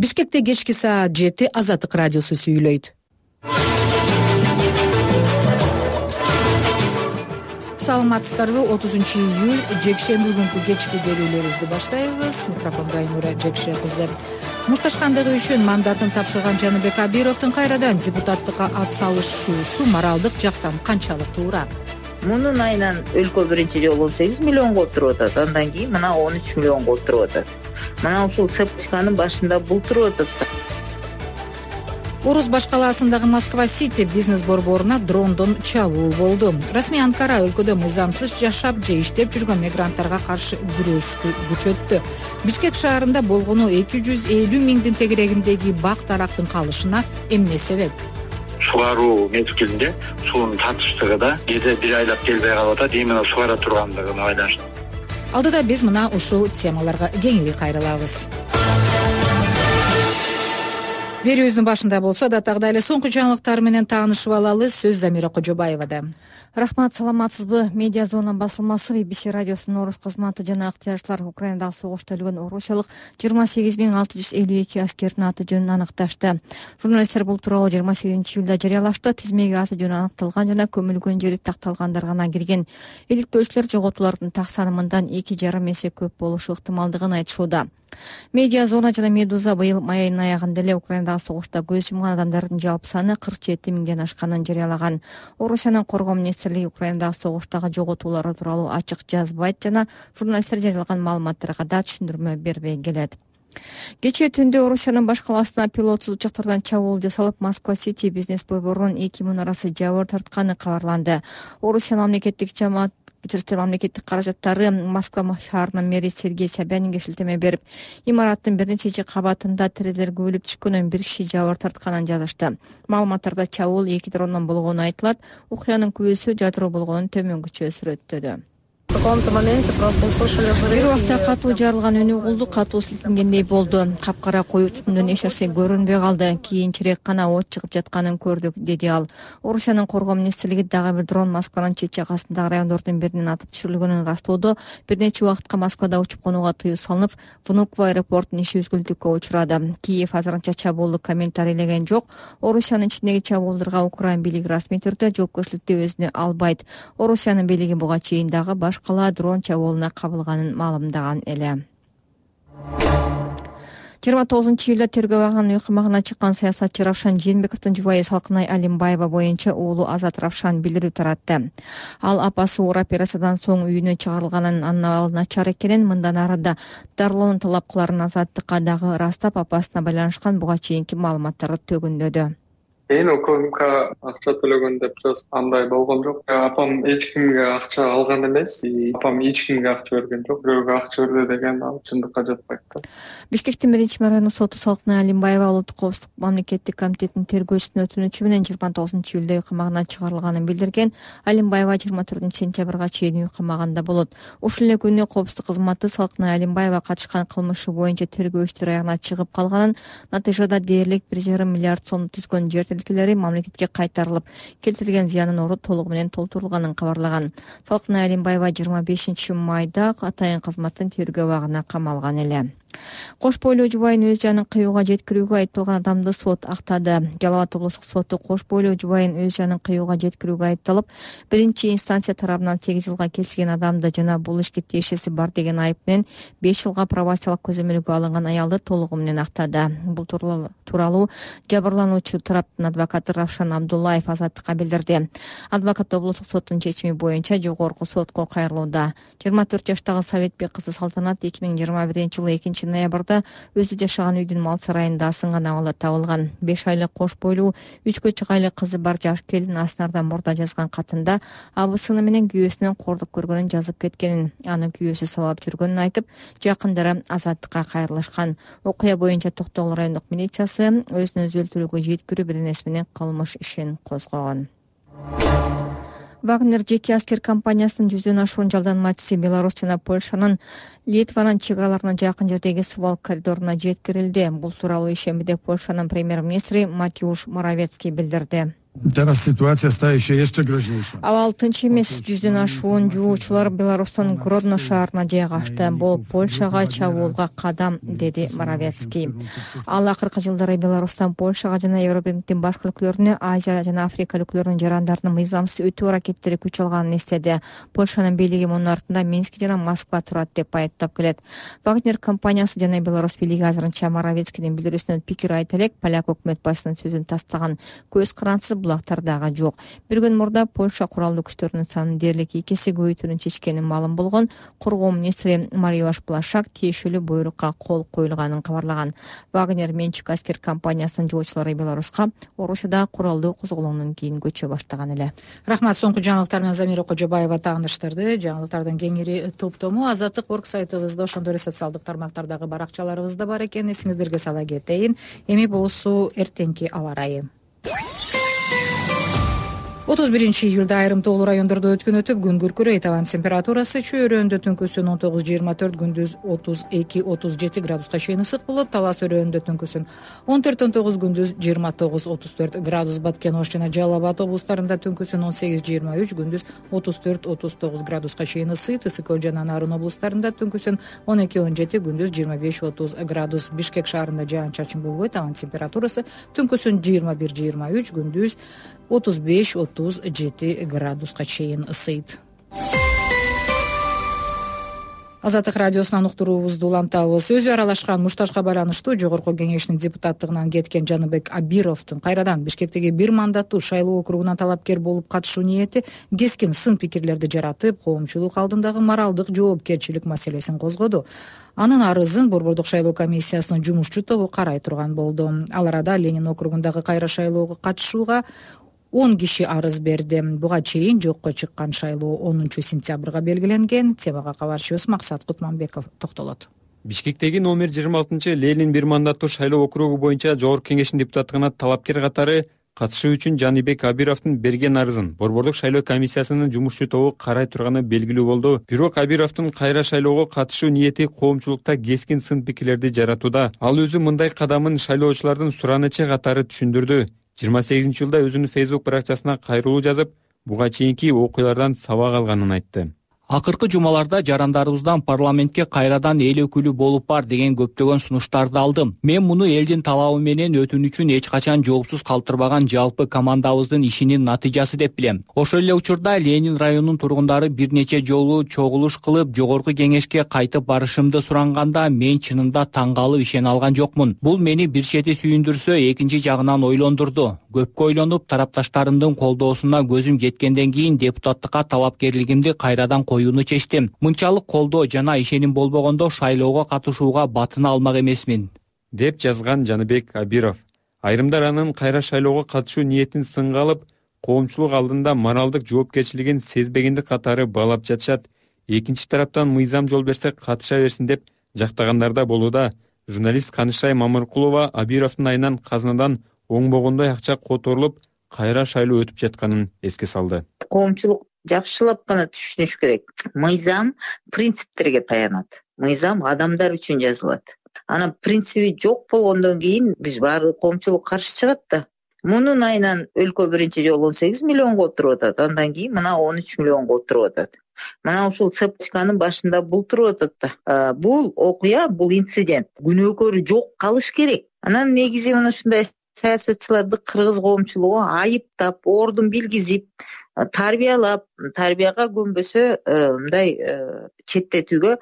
Бишкекте кечки саат 7 Азаттык радиосу сүйлөйт. Саламатсыздарбы? 30-июль жекшемби күнкү кечки берүүлөрүбүздү баштайбыз. Микрофондо Айнура Жекше кызы. Мушташкандыгы үчүн мандатын тапшырган Жаныбек Абировдун кайрадан депутаттыкка ат салышуусу моралдык жактан канчалык туура? Мунун айынан өлкө биринчи жолу 18 миллионго отуруп атат, андан кийин мына 13 миллионго отуруп атат. Мына ушул цепочканын башында бул туруп атат. Орус-Баш калаасындагы Москва-Сити бизнес борборуна дрондон чабуул болду. Расмий Анкара өлкөдө мыйзамсыз жашап же иштеп жүргөн мигранттарга каршы күрөштү күчөттү. Бишкек шаарында болгону 250 миңдин тегерегиндеги бак-тарактын калышына эмне себеп? Сугаруу мезгилинде суунун татыштыгы да кээде бир айлап келбей калып атат, именно сугара тургандыгына байланыштуу. Алдыда биз мына ушул темаларга кеңири кайрылабыз. Берүүбүздүн башында болсо датагдагы эле соңку жаңылыктар менен таанышып алалы. Сөз Замира Кожобаевада. Рахмат, саламатсызбы? Медиа зона басылмасы BBC радиосунун орус кызматы жана ыктыярчылар Украинадагы согушта өлгөн орусиялык 28652 аскердин аты жөнүн аныкташты. Журналисттер бул тууралуу 28-июлда жарыялашты. Тизмеге аты жөнү аныкталган жана көмүлгөн жери такталгандар гана кирген. Иликтөөчүлөр жоготуулардын так санымындан 2,5 эсе көп болушу ыктымалдыгын айтышууда. Медиа зона жана Медуза быйыл май айынын аягында эле Украинадагы согушта көз жумган адамдардын жалпы саны 47 миңден ашканын жарыялаган. Орусиянын коргоо министрлиги Украинадагы согуштагы жоготуулар тууралуу ачык жазбайт жана журналисттер жарыялаган маалыматтарга да түшүндүрмө бербей келет. Кечээ түндө Орусиянын баш калаасына пилотсуз учактардан чабуул жасалып, Москва-Сити бизнес борборунун 2 мунарасы жабыр тартканы кабарланды. Орусиянын мамлекеттик каражаттары Москва шаарынын мэри Сергей Собянинге шилтеме берип, имараттын бир нече кабатында тирелер көбөлүп түшкөнүн, бир киши жабыр тартканын жазышты. Маалыматтарда чабуул 2 дрондон болгону айтылат. Окуянын күбөсү жадыроо болгонун төмөнгүчө сүрөттөдү. Бир убакта катуу жарылган үнү угулду, катуу силкингендей болду. Капкара коюу түтүндөн эч нерсе көрүнбөй калды. Кийинчерээк гана от чыгып жатканын көрдүк, деди ал. Орусиянын коргоо министрлиги дагы бир дрон Москванын чет жагасындагы райондордун биринен атып түшүрүлгөнүн ырастоодо, бир нече убакытка Москвада учуп конууга тыюу салынып, Внуково аэропортунун иши үзгүлтүккө учурады. Киев азырынча чабуулду комментарийлеген жок. Орусиянын ичиндеги чабуулдарга Украин бийлиги расмий түрдө жоопкерчиликти өзүнө албайт. Орусиянын бийлиги буга чейин дагы баш кала дрон чабуулуна кабылганын маалымдаган эле. 29-июлда тергөө абагынын үй камагына чыккан саясатчы Равшан Жээнбековдун жубайы Салкынай Алимбаева боюнча уулу Азат Равшан билдирүү таратты. Ал апасы оор операциядан соң үйүнө чыгарылганын, анын абалы начар экенин, мындан ары да дарылоону талап кыларын Азаттыкка дагы ырастап, апасына байланышкан буга чейинки маалыматтарды төгүндөдү. ОКМК акча төлөгөн деп андай болгон жок. Апам эч кимге акча алган эмес, апам эч кимге акча берген жок. Бирөөгө акча берди деген ал чындыкка жатпайт да. Бишкектин 1-райондук соту Салкынай Алимбаева Улуттук коопсуздук мамлекеттик комитетинин тергөөчүсүнүн өтүнүчү менен 29-июлда үй камагына чыгарылганын билдирген. Алимбаева 24-сентябрга чейин үй камагында болот. Ушул эле күнү коопсуздук кызматы Салкынай Алимбаева катышкан кылмышы боюнча тергөөчүлөр аягына чыгып калганын, натыйжада дээрлик 1,5 миллиард сом түзгөн жер тилкелери мамлекетке кайтарылып, келтирилген зыянын орду толугу менен толтурулганын кабарлаган. Салкынай Алимбаева 25 майда атайын кызматтын тергөө абагына камалган эле. Кош бойлуу жубайын өз жанын кыюуга жеткирүүгө айыпталган адамды сот актады. Жалал Абад облустук соту кош бойлуу жубайын өз жанын кыюуга жеткирүүгө айыпталып, биринчи инстанция тарабынан 8 жылга келишилген адамды жана бул ишке тиешеси бар деген айып менен 5 жылга пробациялык көзөмөлгө алынган аялды толугу менен актады. Бул тууралуу жабырлануучу тараптын адвокаты Равшан Абдуллаев Азаттыкка билдирди. Адвокат облустук соттун чечими боюнча жогорку сотко кайрылууда. 24 жаштагы Советбек кызы Салтанат 2021-жылы 2-ноябрда өзү жашаган үйдүн мал сарайында асынган абалда табылган. 5 айлык кош бойлуу 3 чыгайлы кызы бар жаш келин Аснардан мурда жазган катында абысыны менен күйөөсүнөн кордук көргөнүн жазып кеткенин, аны күйөөсү сабап жүргөнүн айтып, жакындары Азаттыкка кайрылышкан. Окуя боюнча Токтогул райондук милициясы өзүн өзү өлтүрүүгө жеткирүү беренеси менен кылмыш ишин козгогон. Вагнер жеке аскер компаниясынын 100дөн ашуун жалданмачысы Беларусь жана Польшанын Литванын чек араларына жакын жердеги Сувал коридоруна жеткирилди. Бул тууралуу ишембиде Польшанын премьер-министри Матиуш Моравецкий билдирди. Teraz sytuacja staje się jeszcze groźniejsza. Абал тынч эмес. 100дөн ашуун жуучулар Беларустун Гродно шаарына жайгашты. Бул Польшага чабуулга кадам, деди Моровецкий. Ал акыркы жылдары Беларустан Польшага жана Европадын башка өлкөлөрүнө, Азия жана Африка өлкөлөрүнүн жарандарынын мыйзамсыз өтүү аракеттери күч алганын эстеди. Польшанын бийлиги мунун артында Минск жана Москва турат деп айыптап келет. Вагнер компаниясы жана Беларусь бийлиги азырынча Моровецкийдин билдирүүсүнөн пикир айта элек, поляк өкмөт башчысынын сөзүн тастаган. Көз карансыз булактар дагы жок. Bir күн мурда Польша куралдуу күчтөрүнүн санын дээрлик 2 эсе көбөйтүүнү чечкени маалым болгон. Коргоо министри Мариош Плашак тиешелүү буйрукка кол коюлганын кабарлаган. Вагнер менчик аскер компаниясынын жолчулары Беларуска Орусияда куралдуу козголоондон кийин көчө баштаган эле. Рахмат. Соңку жаңылыктар менен Замира Кожобаева тааныштырды. Жаңылыктардын кеңири топтому Азаттык орг сайтыбызда, ошондой эле социалдык тармактардагы баракчаларыбызда бар экен. Эсиңиздерге сала кетейин. Эми болсу эртеңки аба ырайы. 31-июлда айрым тоолуу райондордо өткөн өтүп күн күркүрөйт. Абанын температурасы чөйрөндө түнкүсүн 19-24, күндүз 32-37 градуска чейин ысык болот. Талас өрөөнүндө түнкүсүн 14-19, күндүз 29-34 градус. Баткен Ош жана Жалал Абад облустарында түнкүсүн 18-23, күндүз 34-39 градуска чейин ысыйт. Ысык Көл жана Нарын облустарында түнкүсүн 12-17, күндүз 25-30 градус. Бишкек шаарында жаан-чачын болбойт. Абанын температурасы түнкүсүн 21-23, күндүз 35-37 градуска чейин ысыйт. Азаттык радиосунан уктуруубузду улантабыз. Өзү аралашкан муштажга байланыштуу Жогорку кеңештин депутаттыгынан кеткен Жаныбек Абировдун кайрадан Бишкектеги бир мандаттуу шайлоо округуна талапкер болуп катышуу ниети кескин сын пикирлерди жаратып, коомчулук алдындагы моралдык жоопкерчилик маселесин козгоду. Анын арызын Борбордук шайлоо комиссиясынын жумушчу тобу карай турган болду. Ал арада Ленин округундагы кайра шайлоого катышууга 10 киши арыз берди. Буга чейин жокко чыккан шайлоо 10-сентябрга белгиленген. Темага кабарчыбыз Максат Кутманбеков токтолот. Бишкектеги номер 26 Ленин бир мандаттуу шайлоо округу боюнча Жогорку кеңештин депутаттыгына талапкер катары катышуу үчүн Жаныбек Абировдун берген арызын Борбордук шайлоо комиссиясынын жумушчу тобу карай турганы белгилүү болду. Бирок Абировдун кайра шайлоого катышуу ниети коомчулукта кескин сын пикирлерди жаратууда. Ал өзү мындай кадамын шайлоочулардын суранычы катары түшүндүрдү. 28-жылда өзүнүн Facebook баракчасына кайрылуу жазып, буга чейинки окуялардан сабак алганын айтты. Акыркы жумаларда жарандарыбыздан парламентке кайрадан эл өкүлү болуп бар деген көптөгөн сунуштарды алдым. Мен муну элдин талабы менен өтүүнү үчүн эч качан жоопсуз калтырбаган жалпы командабыздын ишинин натыйжасы деп билем. Ошол эле учурда Ленин районунун тургундары бир нече жолу чогулуш кылып, Жогорку кеңешке кайтып барышымды суранганда мен чынында таң калып ишене алган жокмун. Бул мени бир чети сүйүндүрсө, экинчи жагынан ойлондурду. Көпкө ойлонуп, тарапташтарымдын колдоосуна көзүм жеткенден кийин депутаттыкка талапкерлигимди кайрадан коюуну чечтим. Мынчалык колдоо жана ишеним болбогондо шайлоого катышууга батына алмак эмесмин, деп жазган Жаныбек Абиров. Айрымдар анын кайра шайлоого катышуу ниетин сынга алып, коомчулук алдында моралдык жоопкерчилигин сезбегендик катары баалап жатышат. Экинчи тараптан мыйзам жол берсе катыша берсин деп жактагандар да болууда. Журналист Канышай Мамыркулова Абировдун айынан казынадан оңбогондой акча которулуп, кайра шайлоо өтүп жатканын эске салды. Коомчулук жакшылап гана түшүнүш керек. Мыйзам принциптерге таянат. Мыйзам адамдар үчүн жазылат. Анан принциби жок болгондон кийин биз баары коомчулук каршы чыгат да. Мунун айынан өлкө биринчи жолу 18 миллионго отуруп атат. Андан кийин мына 13 миллионго отуруп атат. Мына ушул цепочканын башында бул туруп атат да. Бул окуя, бул инцидент. Күнөөкөрү жок калыш керек. Анан негизи мына ушундай саясатчыларды кыргыз коомчулугу айыптап, ордун билгизип, тарбиялап, тарбияга көнбөсө мындай четтетүүгө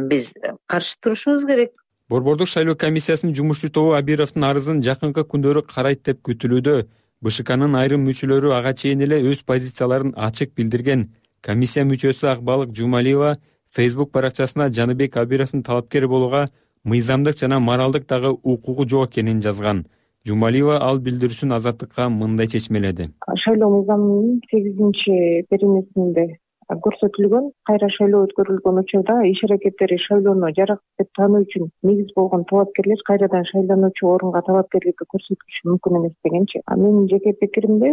биз каршы турушубуз керек. Борбордук шайлоо комиссиясынын жумушчу тобу Абировдун арызын жакынкы күндөрү карайт деп күтүлүүдө. БШКнын айрым мүчөлөрү ага чейин эле өз позицияларын ачык билдирген. Комиссия мүчөсү Акбалык Жумалиева Facebook баракчасына Жаныбек Абировдун талапкер болууга мыйзамдык жана моралдык дагы укугу жок экенин жазган. Жумалиева ал билдирүүсүн Азаттыкка мындай чечмеледи. Шайлоо мыйзамынын 8-беренесинде көрсөтүлгөн кайра шайлоо өткөрүлгөн учурда иш аракеттери шайлоону жарак деп таануу үчүн негиз болгон талапкерлер кайрадан шайлануучу орунга талапкерликти көрсөтүшү мүмкүн эмес дегенчи. Менин жеке пикиримде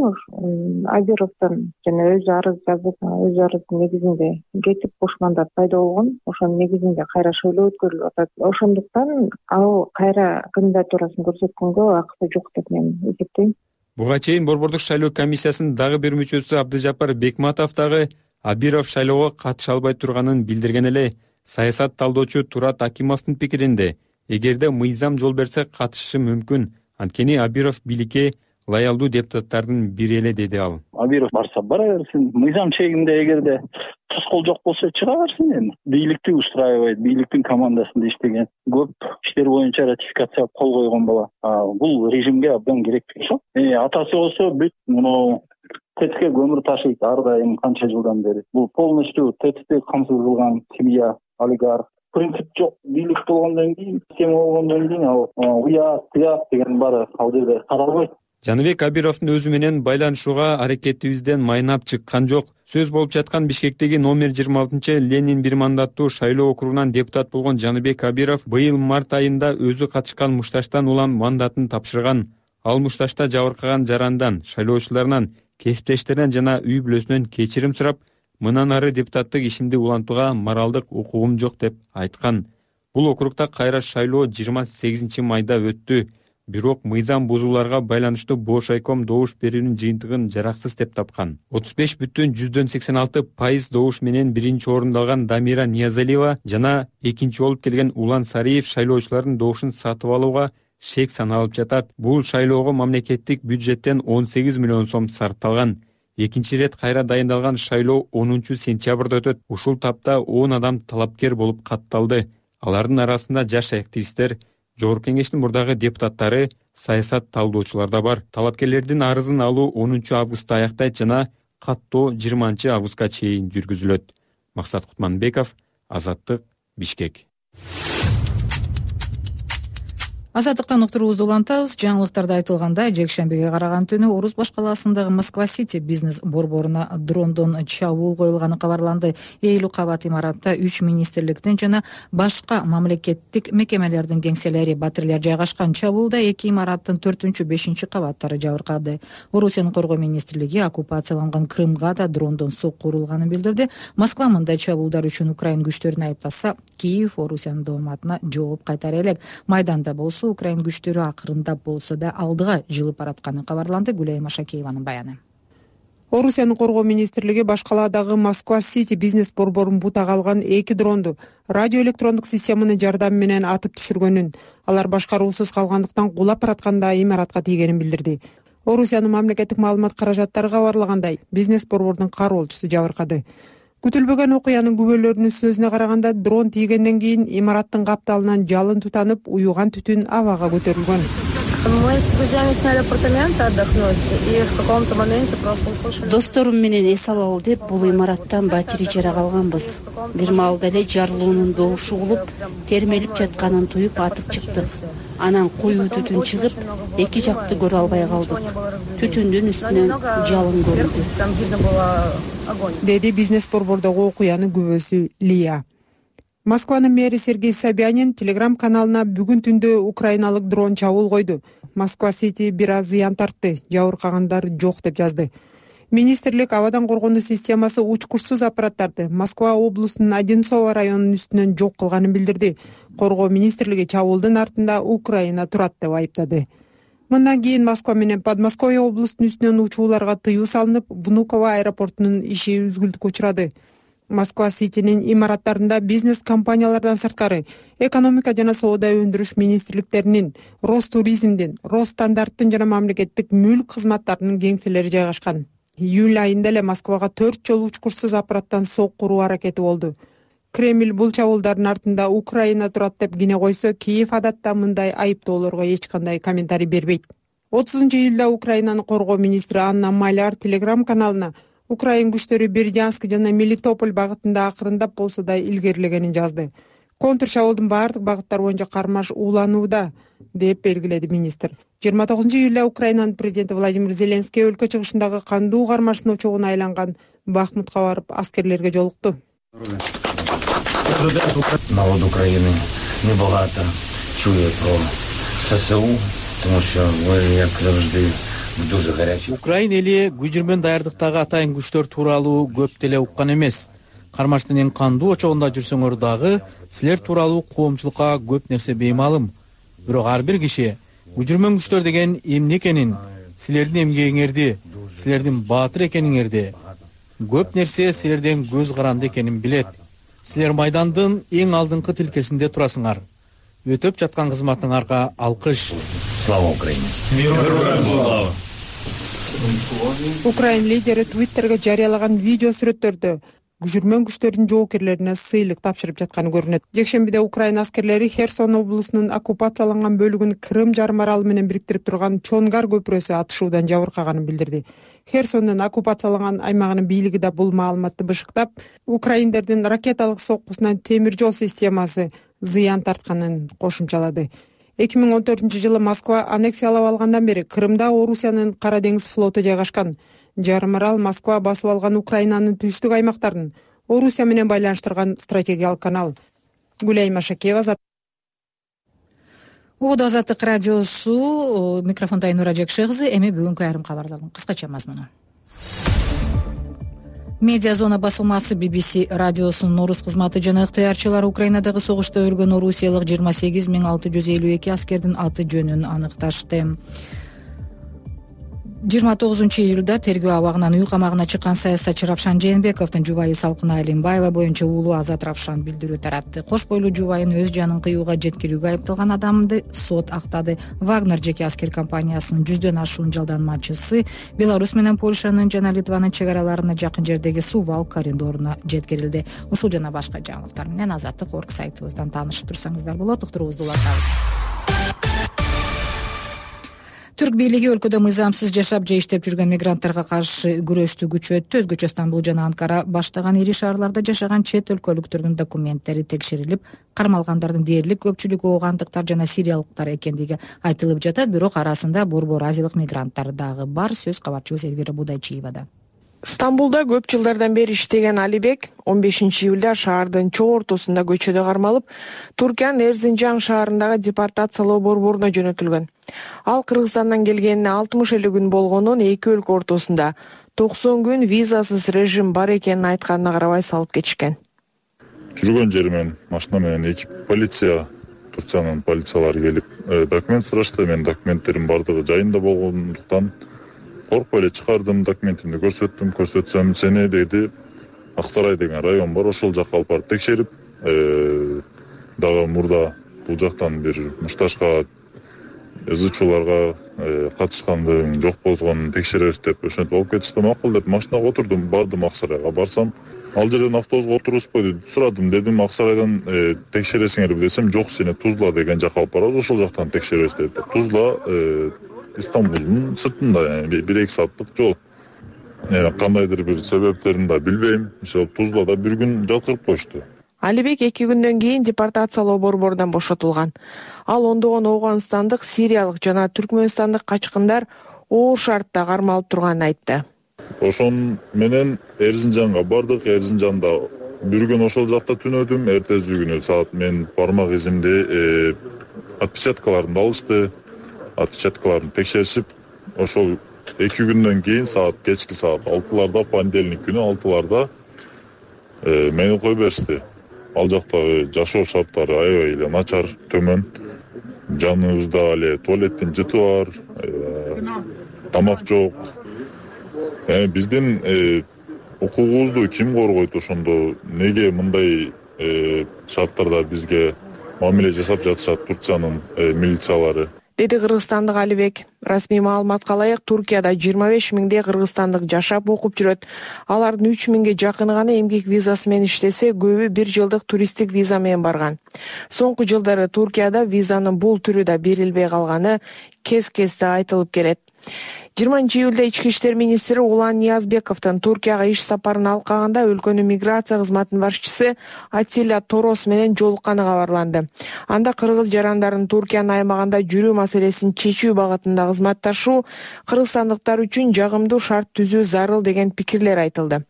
Абировдон жана өзү арыз жазып, өз арыздын негизинде кетип бош мандат пайда болгон. Ошонун негизинде кайра шайлоо өткөрүлүп атат. Ошондуктан ал кайра кандидатурасын көрсөткөнгө акысы жок деп мен эсептейм. Буга чейин Борбордук шайлоо комиссиясынын дагы бир мүчөсү Абдыжапар Бекматов дагы Абиров шайлоого катыша албай турганын билдирген эле. Саясат талдоочу Турат Акимовдун пикиринде, эгерде мыйзам жол берсе катышышы мүмкүн. Анткени Абиров бийликке лоялдуу депутаттардын бири эле, деди ал. Абиров барса бара берсин, мыйзам чегинде эгерде тоскоол жок болсо чыга берсин. Эми бийликти устраивайт, бийликтин командасында иштеген, көп иштер боюнча ратификацияга кол койгон бала. Бул режимге абдан керек болсо. Атасы болсо бүт муну ТЭЦке көмүр ташыйт ар дайым канча жылдан бери. Бул полностью ТЭЦти камсыз кылган семья, олигарх. Принцип жок, бийлик болгондон кийин, система болгондон кийин ал уят, тыят деген баары ал жерде каралбайт. Жаныбек Абировдун өзү менен байланышууга аракетибизден майнап чыккан жок. Сөз болуп жаткан Бишкектеги номер 26 Ленин бир мандаттуу шайлоо округунан депутат болгон Жаныбек Абиров быйыл март айында өзү катышкан мушташтан улам мандатын тапшырган. Ал мушташта жабыркаган жарандан, шайлоочуларынан, кесиптештеринен жана үй бүлөсүнөн кечирим сурап, мындан ары депутаттык ишимди улантууга моралдык укугум жок деп айткан. Бул округда кайра шайлоо 28 майда өттү. Бирок мыйзам бузууларга байланыштуу бош айком добуш берүүнүн жыйынтыгын жараксыз деп тапкан. 35,86% добуш менен биринчи орунду алган Дамира Ниязалиева жана экинчи болуп келген Улан Сариев шайлоочулардын добушун сатып алууга шек саналып жатат. Бул шайлоого мамлекеттик бюджеттен 18 миллион сом сарпталган. Экинчи ирет кайра дайындалган шайлоо 10 сентябрда өтөт. Ушул тапта 10 адам талапкер болуп катталды. Алардын арасында жаш активисттер, Жогорку кеңештин мурдагы депутаттары, саясат талдоочулар да бар. Талапкерлердин арызын алуу 10 августта аяктайт жана каттоо 20 августка чейин жүргүзүлөт. Максат Кутманбеков, Азаттык, Бишкек. Азаттыктан уктуруубузду улантабыз. Жаңылыктарда айтылгандай, жекшембиге караган түнү Орус-Баш калаасындагы Москва-Сити бизнес борборуна дрондон чабуул коюлганы кабарланды. 50 кабат имаратта 3 министрликтин жана башка мамлекеттик мекемелердин кеңселери, батирлер жайгашкан. Чабуулда 2 имараттын 4-5 кабаттары жабыркады. Орусиянын коргоо министрлиги оккупацияланган Крымга да дрондон сокку урулганын билдирди. Москва мындай чабуулдар үчүн Украин күчтөрүн айыптаса, Киев Орусиянын дооматына жооп кайтара элек. Майданда болсо Украин күчтөрү акырындап болсо да алдыга жылып баратканы кабарланды. Гүлайым Ашакееванын баяны. Орусиянын коргоо министрлиги баш калаадагы Москва-Сити бизнес борборун бутага алган 2 дронду радиоэлектрондук системанын жардамы менен атып түшүргөнүн, алар башкаруусуз калгандыктан кулап баратканда имаратка тийгенин билдирди. Орусиянын мамлекеттик маалымат каражаттары кабарлагандай, бизнес борбордун кароолчусу жабыркады. Күтүлбөгөн окуянын күбөлөрүнүн сөзүнө караганда, дрон тийгенден кийин имараттын капталынан жалын тутанып, уюган түтүн абага көтөрүлгөн. Мы с друзьями сняли апартаменты отдохнуть и в каком-то моменте просто услышали. Досторум менен эс алалы деп бул имараттан батири жара калганбыз. Бир маалда эле жарылуунун добушу угулуп, термелип жатканын туюп атып чыктык. Анан коюу түтүн чыгып, эки жакты көрө албай калдык. Түтүндүн үстүнөн жалын көрүндү, деди бизнес борбордогу окуянын күбөсү Лия. Москванын мэри Сергей Собянин Телеграм каналына бүгүн түндө украиналык дрон чабуул койду. Москва-Сити бир аз зыян тартты, жабыркагандар жок деп жазды. Министрлик абадан коргонуу системасы учкучсуз аппараттарды Москва облусунун Одинцово районунун үстүнөн жок кылганын билдирди. Коргоо министрлиги чабуулдун артында Украина турат деп айыптады. Мындан кийин Москва менен Подмосковье облусунун үстүнөн учууларга тыюу салынып, Внуково аэропортунун иши үзгүлтүккө учурады. Москва-Ситинин имараттарында бизнес компаниялардан сырткары экономика жана соода өндүрүш министрликтеринин, Ростуризмдин, Росстандарттын жана мамлекеттик мүлк кызматтарынын кеңселери жайгашкан. Июль айында эле Москвага 4 жолу учкучсуз аппараттан сокку уруу аракети болду. Кремль бул чабуулдардын артында Украина турат деп кине койсо, Киев адатта мындай айыптоолорго эч кандай комментарий бербейт. 30-июлда Украинанын коргоо министри Анна Маляр Телеграм каналына Украин күчтөрү Бердянск жана Мелитополь багытында акырындап болсо да илгерилегенин жазды. Контр чабуулдун баардык багыттары боюнча кармаш ууланууда деп белгиледи министр. 29-июлда Украинанын президенти Владимир Зеленский өлкө чыгышындагы кандуу кармаштын очогуна айланган Бахмутка барып аскерлерге жолукту. Народ Украины небагато чує про ССУ, тому що ви, як завжди, дуже гарячі. Украин эли күжүрмөн даярдыктагы атайын күчтөр тууралуу көп деле уккан эмес. Кармаштын эң кандуу очогунда жүрсөңөр дагы силер тууралуу коомчулукка көп нерсе беймалым. Бирок ар бир киши күжүрмөн күчтөр деген эмне экенин, силердин эмгегиңерди, силердин баатыр экениңерди, көп нерсе силерден көз каранды экенин билет. Силер майдандын эң алдыңкы тилкесинде турасыңар. Өтөп жаткан кызматыңарга алкыш. Слава Украине! Украин лидери Твиттерге жарыялаган видео сүрөттөрдө жүрмөн күчтөрдүн жоокерлерине сыйлык тапшырып жатканы көрүнөт. Жекшембиде Украин аскерлери Херсон облусунун оккупацияланган бөлүгүн Крым жарым аралы менен бириктирип турган Чонгар көпүрөсү атышуудан жабыркаганын билдирди. Херсондун оккупацияланган аймагынын бийлиги да бул маалыматты бышыктап, украиндердин ракеталык соккусунан темир жол системасы зыян тартканын кошумчалады. 2014-жылы Москва аннексиялап алгандан бери Крымда Орусиянын Кара деңиз флоту жайгашкан. Жарым арал Москва басып алган Украинанын түштүк аймактарын Орусия менен байланыштырган стратегиялык канал. Гүлай Машакева. Убада Азаттык радиосу, микрофонда Айнура Жекше кызы. Эми бүгүнкү айрым кабарлардын кыскача мазмуну. Медиа зона басылмасы BBC радиосунун орус кызматы жана ыктыярчылары Украинадагы согушта өлгөн орусиялык 28.652 аскердин аты жөнүн аныкташты. 29-июлда тергөө абагынан үй камагына чыккан саясатчы Равшан Жээнбековдун жубайы Салкына Алимбаева боюнча уулу Азат Равшан билдирүү таратты. Кош бойлуу жубайын өз жанын кыюуга жеткирүүгө айыпталган адамды сот актады. Вагнер жеке аскер компаниясынын 100дөн ашуун жалданмачысы Беларусь менен Польшанын жана Литванын чек араларына жакын жердеги Сувал коридоруна жеткирилди. Ушул жана башка жаңылыктар менен Азаттык орг сайтыбыздан таанышып турсаңыздар болот. Уктуруубузду улантабыз. Түрк бийлиги өлкөдө мыйзамсыз жашап же иштеп жүргөн мигранттарга каршы күрөштү күчөттү. Өзгөчө Стамбул жана Анкара баштаган ири шаарларда жашаган чет өлкөлүктөрдүн документтери текшерилип, кармалгандардын дээрлик көпчүлүгү оогандыктар жана сириялыктар экендиги айтылып жатат. Бирок арасында борбор азиялык мигранттар дагы бар. Сөз кабарчыбыз Элвира Будайчиевада. Стамбулда көп жылдардан бери иштеген Алибек 15-июлда шаардын чоо ортосунда көчөдө кармалып, Туркиянын Эрзинжан шаарындагы депортациялоо борборуна жөнөтүлгөн. Ал Кыргызстандан келгенине 60 күн болгонун эки өлкө ортосунда 90 күн визасыз режим бар экенин айтканына карабай салып кетишкен. Жүргөн жеримен машина менен эки полиция, Турциянын полициялары келип, документ сурашты. Мен документтерим бардыгы жайында болгондуктан коркпой эле чыгардым, документимди көрсөтсөм, сени деди, Аксарай деген район бар, ошол жакка алып барып текшерип, дагы мурда бул жактан бир мушташка ызычууларга катышкандыгың жок болгонун текшеребиз деп ошентип алып кетишти. Макул деп машинага отурдум, бардым Аксарайга. Барсам, ал жерден автобуска отурбузбу деп сурадым. Дедим, Аксарайдан текшересиңерби десем, жок, сени Тузла деген жакка алып барабыз, ошол жактан текшеребиз деди. Тузла Стамбулдун сыртында, 1-2 сааттык жол. Кандайдыр бир себептерин да билбейм. Ошол Тузлада бир күн жаткырып коюшту. Алибек 2 күндөн кийин депортациялоо борборунан бошотулган. Ал ондогон Ооганстандык, Сириялык жана Түркмөнстандык качкындар оор шартта кармалып турганын айтты. Ошон менен Эрзинжанга бардык. Эрзинжанда бир күн ошол жакта түнөдүм. Эртеси күнү саат мен бармак изимди отпечаткаларын алышты. Отпечаткаларын текшеришип, ошол 2 күндөн кийин кечки саат 6-ларда, понедельник күнү 6-ларда мени кое беришти. Ал жактагы жашоо шарттары аябай эле начар, төмөн. Жаныбызда эле туалеттин жыты бар, тамак жок. Биздин укугубузду ким коргойт ошондо? Неге мындай шарттарда бизге мамиле жасап жатышат Турциянын милициялары? Деди кыргызстандык Алибек. Расмий маалыматка ылайык, Туркияда 25 миңдей кыргызстандык жашап окуп жүрөт. Алардын 3 миңге жакыны гана эмгек визасы менен иштесе, көбү 1 жылдык туристтик виза менен барган. Соңку жылдары Туркияда визанын бул түрү да берилбей калганы кез-кезде айтылып келет. 20-июлда Ички иштер министри Улан Ниязбековдун Туркияга иш сапарын алкаганда өлкөнүн миграция кызматынын башчысы Атилля Торос менен жолукканы кабарланды. Анда кыргыз жарандарын Туркиянын аймагында жүрүү маселесин чечүү багытында кызматташуу кыргызстандыктар үчүн жагымдуу шарт түзүү зарыл деген пикирлер айтылды.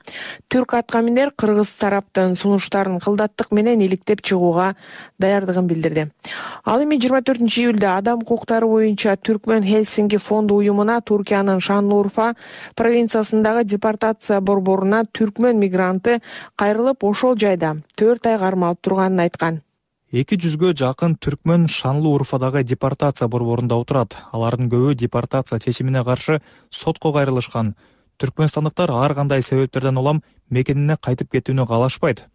Түрк аткаминер кыргыз тараптын сунуштарын кылдаттык менен иликтеп чыгууга даярдыгын билдирди. Ал эми 24-июлда адам укуктары боюнча Түркмөн Хельсинки фонду уюмуна Туркиянын Шанлурфа провинциясындагы депортация борборуна түркмөн мигранты кайрылып ошол жайда 4 ай кармалып турганын айткан. 200-гө жакын түркмөн Шанлы Урфадагы депортация борборунда отурат. Алардын көбү депортация чечимине каршы сотко кайрылышкан. Түркмөнстандыктар ар кандай себептерден улам мекенине кайтып кетүүнү каалашпайт.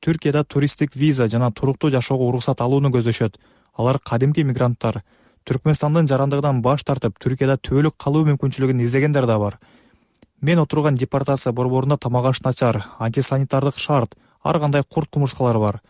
Түркияда туристтик виза жана туруктуу жашоого уруксат алууну көздөшөт. Алар кадимки мигранттар. Түркмөнстандын жарандыгынан баш тартып, Түркияда түбөлүк калуу мүмкүнчүлүгүн издегендер да бар. Мен отурган депортация борборунда тамак аш начар, антисанитардык шарт, ар кандай курт кумурскалар бар.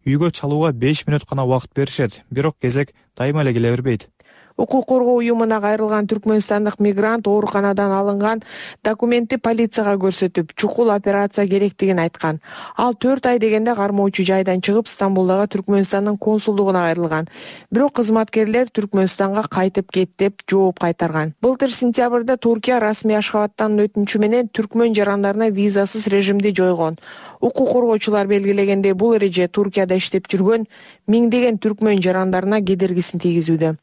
Үйгө чалууга 5 мүнөт гана убакыт беришет, бирок кезек дайыма эле келе бербейт. Укук коргоо уюмуна кайрылган түркмөнстандык мигрант ооруканадан алынган документти полицияга көрсөтүп, чукул операция керектигин айткан. Ал 4 ай дегенде кармоочу жайдан чыгып, Стамбулдагы Түркмөнстандын консулдугуна кайрылган. Бирок кызматкерлер Түркмөнстанга кайтып кет деп жооп кайтарган. Былтыр сентябрда Туркия расмий Ашхабадтан өтүнчү менен түркмөн жарандарына визасыз режимди жойгон. Укук коргоочулар белгилегендей, бул эреже Туркияда иштеп жүргөн миңдеген түркмөн жарандарына кедергисин тийгизүүдө.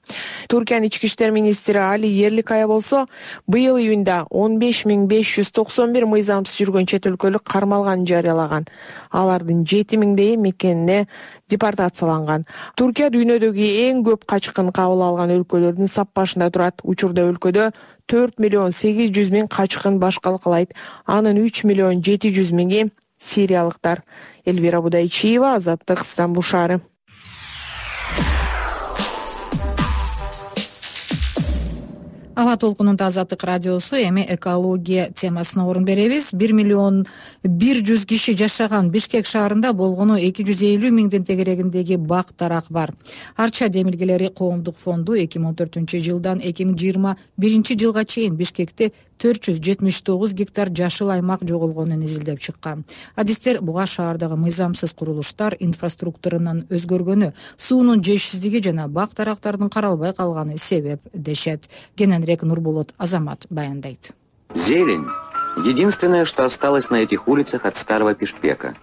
Туркиянын ички иштер министри Али Ерликая болсо, быйыл июнда 15591 мыйзамсыз жүргөн чет өлкөлүк кармалганын жарыялаган. Алардын 7000 мекенине депортацияланган. Туркия дүйнөдөгү эң көп качкын кабыл алган өлкөлөрдүн саппашында турат. Учурда өлкөдө 4.800.000 качкын башкала кылайт. Анын 3.700.000 сириялыктар. Элвира Будайчиева, Азаттык, Стамбул шаары. Аба толкунунда Азаттык радиосу эми экология темасына орун беребиз. 1.100.000 киши жашаган Бишкек шаарында болгону 250.000 тегерегиндеги бак дарак бар. Арча демилгелери коомдук фонду 2014 жылдан 2021 жылга чейин Бишкекте 479 гектар жашыл аймак жоголгонун изилдеп чыккан. Адистер буга шаардагы мыйзамсыз курулуштар, инфраструктуранын өзгөргөнү, суунун жетишсиздиги жана бак дарактардын каралбай калганы себеп дешет. Кененирээк Нурболот Азамат баяндайт. Зелень — единственное, что осталось на этих улицах от старого Бишкека.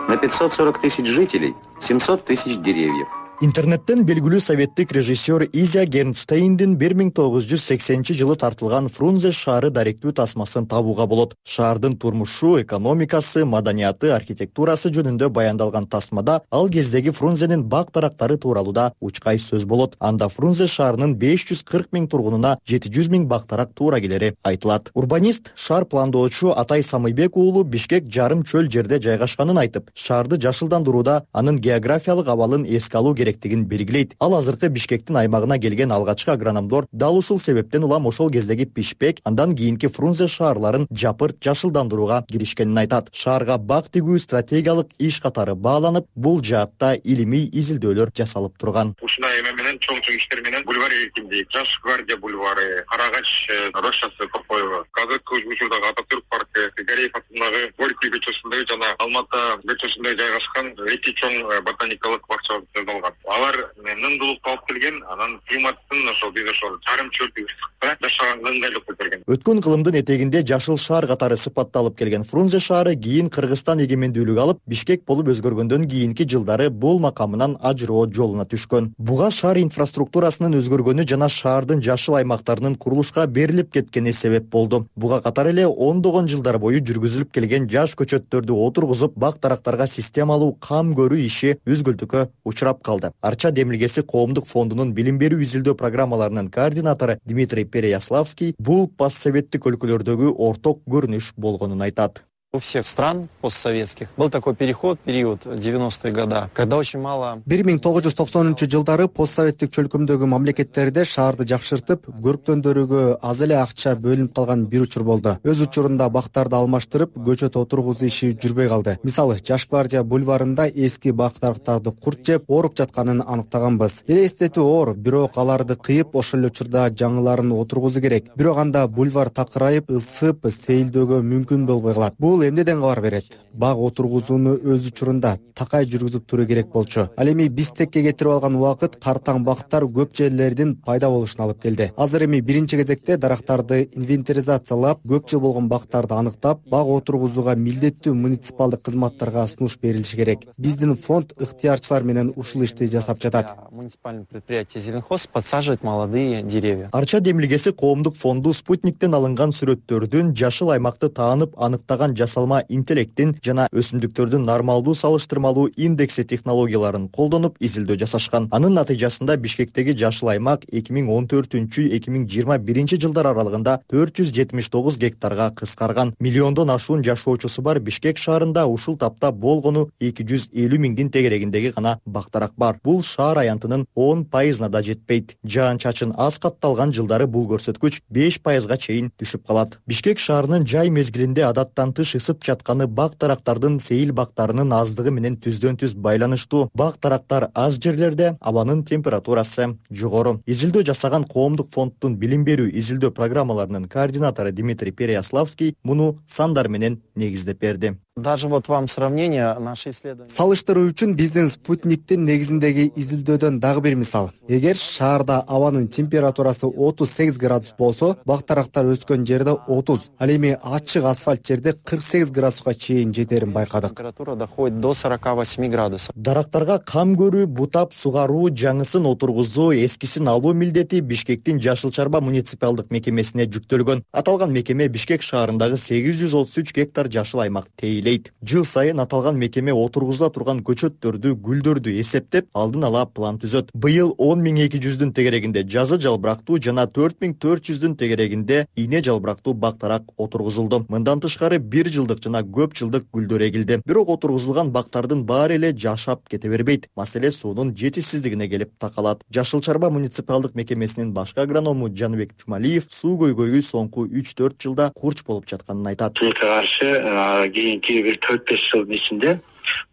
На 540 тысяч жителей 700 тысяч деревьев. Интернеттен белгилүү советтик режиссер Изя Гернштейндин 1980-жылы тартылган Фрунзе шаары даректүү тасмасын табууга болот. Шаардын турмушу, экономикасы, маданияты, архитектурасы жөнүндө баяндалган тасмада ал кездеги Фрунзенин бак дарактары тууралуу да учкай сөз болот. Анда Фрунзе шаарынын 540.000 тургунуна 700.000 бак дарак туура келери айтылат. Урбанист, шаар пландоочу Атай Самыйбек уулу Бишкек жарым чөл жерде жайгашканын айтып, шаарды жашылдандырууда анын географиялык абалын эске алуу керектигин белгилейт. Ал азыркы Бишкектин аймагына келген алгачкы агрономдор дал ушул себептен улам ошол кездеги Бишкек, андан кийинки Фрунзе шаарларын жапырт жашылдандырууга киришкенин айтат. Шаарга бак тигүү стратегиялык иш катары бааланып, бул жаатта илимий изилдөөлөр жасалып турган. Ушундай эме менен чоң иштер менен бульвар эркиндик, Жаш гвардия бульвары, Карагач рощасы Копоева, азыркы учурдагы Ататүрк паркы, Гареев атындагы Горький көчөсүндөгү жана Алматы көчөсүндө жайгашкан эки чоң ботаникалык бакча жасалган. Алар нымдуулукка алып келген, анан климаттын ошол биз ошол жарым чөлдүк ысыкта жашаганга ыңгайлык берген. Өткөн кылымдын этегинде жашыл шаар катары сыпатталып келген Фрунзе шаары кийин Кыргызстан эгемендүүлүк алып, Бишкек болуп өзгөргөндөн кийинки жылдары бул макамынан ажыроо жолуна түшкөн. Буга шаар инфраструктурасынын өзгөргөнү жана шаардын жашыл аймактарынын курулушка берилип кеткени себеп болду. Буга катар эле ондогон жылдар бою жүргүзүлүп келген жаш көчөттөрдү отургузуп, бак дарактарга системалуу кам көрүү иши үзгүлтүккө учурап калды. Арча демилгеси коомдук фондунун билим берүү изилдөө программаларынын координатору Дмитрий Переяславский бул постсоветтик өлкөлөрдөгү орток көрүнүш болгонун айтат. У всех стран постсоветских был такой период 90-е годы, когда очень мало... 1990-жылдары постсоветтик чөлкөмдөгү мамлекеттерде шаарды жакшыртып, көрктөндөрүгө аз эле акча бөлүнүп калган бир учур болду. Өз учурунда бактарды алмаштырып, көчөт отургузуу иши жүрбөй калды. Мисалы, Жаш гвардия бульварында эски бак дарактарды курт жеп, ооруп жатканын аныктаганбыз. Элестетүү оор, бирок аларды кыйып, ошол эле учурда жаңыларын отургузуу керек. Бирок анда бульвар такырайып, ысып, сейилдөөгө мүмкүн болбой калат. Бул эмнеден кабар берет? Баг отургузууну өз учурунда такай жүргүзүп туруу керек болчу. Ал эми Бишкекке кетирип алган убакыт картаң бактар көп жерлердин пайда болушуна алып келди. Азыр эми биринчи кезекте дарактарды инвентаризациялап, көп жыл болгон бактарды аныктап, баг отургузууга милдеттүү муниципалдык кызматтарга сунуш берилиши керек. Биздин фонд ыктыярчылар менен ушул ишти жасап жатат. Муниципальное предприятие Зеленхоз подсаживает молодые деревья. Арча демилгеси коомдук фонду спутниктен алынган сүрөттөрдүн жашыл аймакты таанып аныктаган жасалма интеллекттин жана өсүмдүктөрдүн нормалдуу салыштырмалуу индекси технологияларын колдонуп изилдөө жасашкан. Анын натыйжасында Бишкектеги жашыл аймак 2014-2021 жылдар аралыгында 479 гектарга кыскарган. Миллиондон ашуун жашоочусу бар Бишкек шаарында ушул тапта болгону 250 миңдин тегерегиндеги гана бактарак бар. Бул шаар аянтынын 10% да жетпейт. Жаан-чачын аз катталган жылдары бул көрсөткүч 5%га чейин түшүп калат. Бишкек шаарынын жай мезгилинде адаттан тыш ысып жатканы бак-тарактардын сейил бактарынын аздыгы менен түздөн-түз байланыштуу. Бак-тарактар аз жерлерде, абанын температурасы жогору. Изилдөө жасаган коомдук фонддун билим берүү изилдөө программаларынын координатору Дмитрий Переяславский муну сандар менен негиздеп берди. Даже вот вам сравнение наши исследования. Салыштыруу үчүн биздин спутниктин негизиндеги изилдөөдөн дагы бир мисал. Эгер шаарда абанын температурасы 38 градус болсо, бак-тарактар өскөн жерде 30, ал эми ачык асфальт жерде 48 градуска чейин жетерин байкадык. Температура доходит до 48 градусов. Дарактарга кам көрүү, бутап сугаруу, жаңысын отургузуу, эскисин алуу милдети Бишкектин Жашыл Чарба муниципалдык мекемесине жүктөлгөн. Аталган мекеме Бишкек шаарындагы 833 гектар жашыл аймак тейлейт. Жыл сайын аталган мекеме отургузула турган көчөттөрдү, гүлдөрдү эсептеп, алдын ала план түзөт. Быйыл 10.200 тегерегинде жазы жалбырактуу жана 4.400 тегерегинде ийне жалбырактуу бактарак отургузулду. Мындан тышкары 1 жылдык жана көп жылдык гүлдөр эгилди. Бирок отургузулган бактардын баары эле жашап кете бербейт. Маселе суунун жетишсиздигине келип такалат. Жашыл Чарба муниципалдык мекемесинин башкы агроному Жаныбек Чумалиев суу көйгөйү соңку 3-4 жылда курч болуп жатканын айтат. Каршы кийинки бир 4-5 жылдын ичинде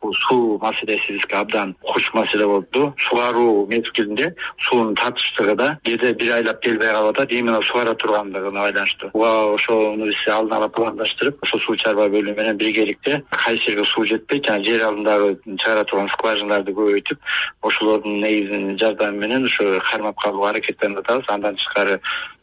бул суу маселеси бизге абдан куч маселе болду. Сугаруу мезгилинде суунун татыштыгы да кээде бир айлап келбей калып атат, именно сугара тургандыгына байланыштуу. Ошону биз алдын ала пландаштырып, ошо суу чарба бөлүмү менен биргеликте кайсы жерге суу жетпейт, жана жер алдындагы чыгара турган скважиналарды көбөйтүп, ошолордун негизинин жардамы менен ошо кармап калууга аракеттенип атабыз. Андан тышкары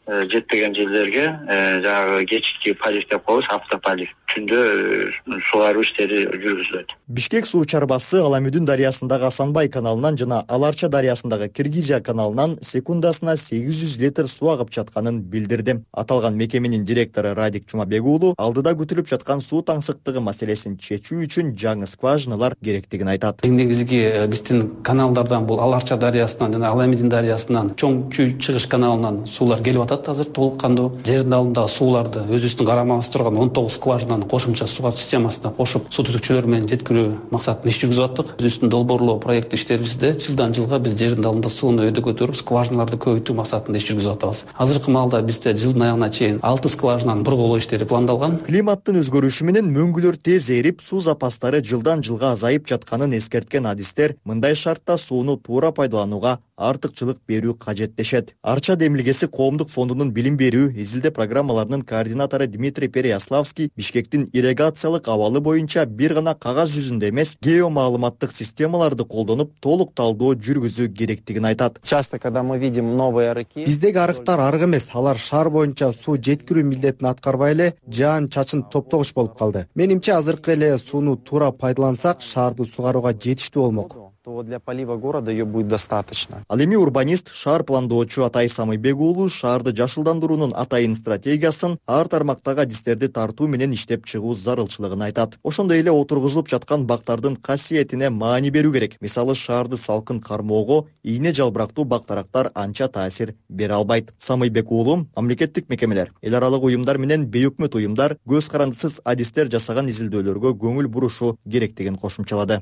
жетпеген жерлерге жанагы кечки полив деп коебуз, автополив. Түндө сугаруу иштери жүргүзүлөт. Бишкек суу чарбасы Аламүдүн дарыясындагы Асанбай каналынан жана Аларча дарыясындагы Киргизия каналынан секундасына 800 литр суу агып жатканын билдирди. Аталган мекеменин директору Радик Чумабек уулу алдыда күтүлүп жаткан суу таңсыктыгы маселесин чечүү үчүн жаңы скважиналар керектигин айтат. Негизги биздин каналдардан бул Аларча дарыясынан жана Аламүдүн дарыясынан чоң чыгыш каналынан суулар келип атат. Азыр толук кандуу жердин алдындагы сууларды өзүбүздүн карамабыз турган 19 скважинаны кошумча суу системасына кошуп суу түтүкчөлөр менен жеткирүү максатында иш жүргүзүп аттык. Өзүбүздүн долбоорлоо проект иштерибизде жылдан жылга биз жердин алдында сууну өйдө көтөрүп, скважиналарды көбөйтүү максатында иш жүргүзүп атабыз. Азыркы маалда бизде жылдын аягына чейин 6 скважинанын бурголоо иштери пландалган. Климаттын өзгөрүшү менен мөңгүлөр тез эрип, суу запастары жылдан жылга азайып жатканын эскерткен адистер мындай шартта сууну туура пайдаланууга артыкчылык берүү кажет дешет. Арча демилгеси коомдук фондунун билим берүү изилдөө программаларынын координатору Дмитрий Переяславский Бишкектин ирригациялык абалы боюнча бир гана кагаз жүзүндө эмес, геомаалыматтык системаларды колдонуп толук талдоо жүргүзүү керектигин айтат. Часто, когда мы видим новые арыки, биздеги арыктар арык эмес, алар шаар боюнча суу жеткирүү милдетин аткарбай эле жаан-чачын топтогуч болуп калды. Менимче азыркы эле сууну туура пайдалансак, шаарды сугарууга жетиштүү болмок. То для полива города ее будет достаточно. Ал эми урбанист, шаар пландоочу Атай Самыйбек уулу шаарды жашылдандыруунун атайын стратегиясын ар тармактагы адистерди тартуу менен иштеп чыгуу зарылчылыгын айтат. Ошондой эле отургузулуп жаткан бактардын касиетине маани берүү керек. Мисалы, шаарды салкын кармоого ийне жалбырактуу бактарактар анча таасир бере албайт. Самыйбек уулу мамлекеттик мекемелер, эл аралык уюмдар менен бейөкмөт уюмдар көз карандысыз адистер жасаган изилдөөлөргө көңүл бурушу керектигин кошумчалады.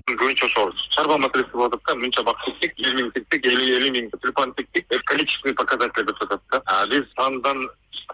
Чарба маселеси болуп атат, мынча бак тиктик, 100 миң тиктик, 50 миң тюльпан тиктик, количественный показатель деп атат да. Биз сандан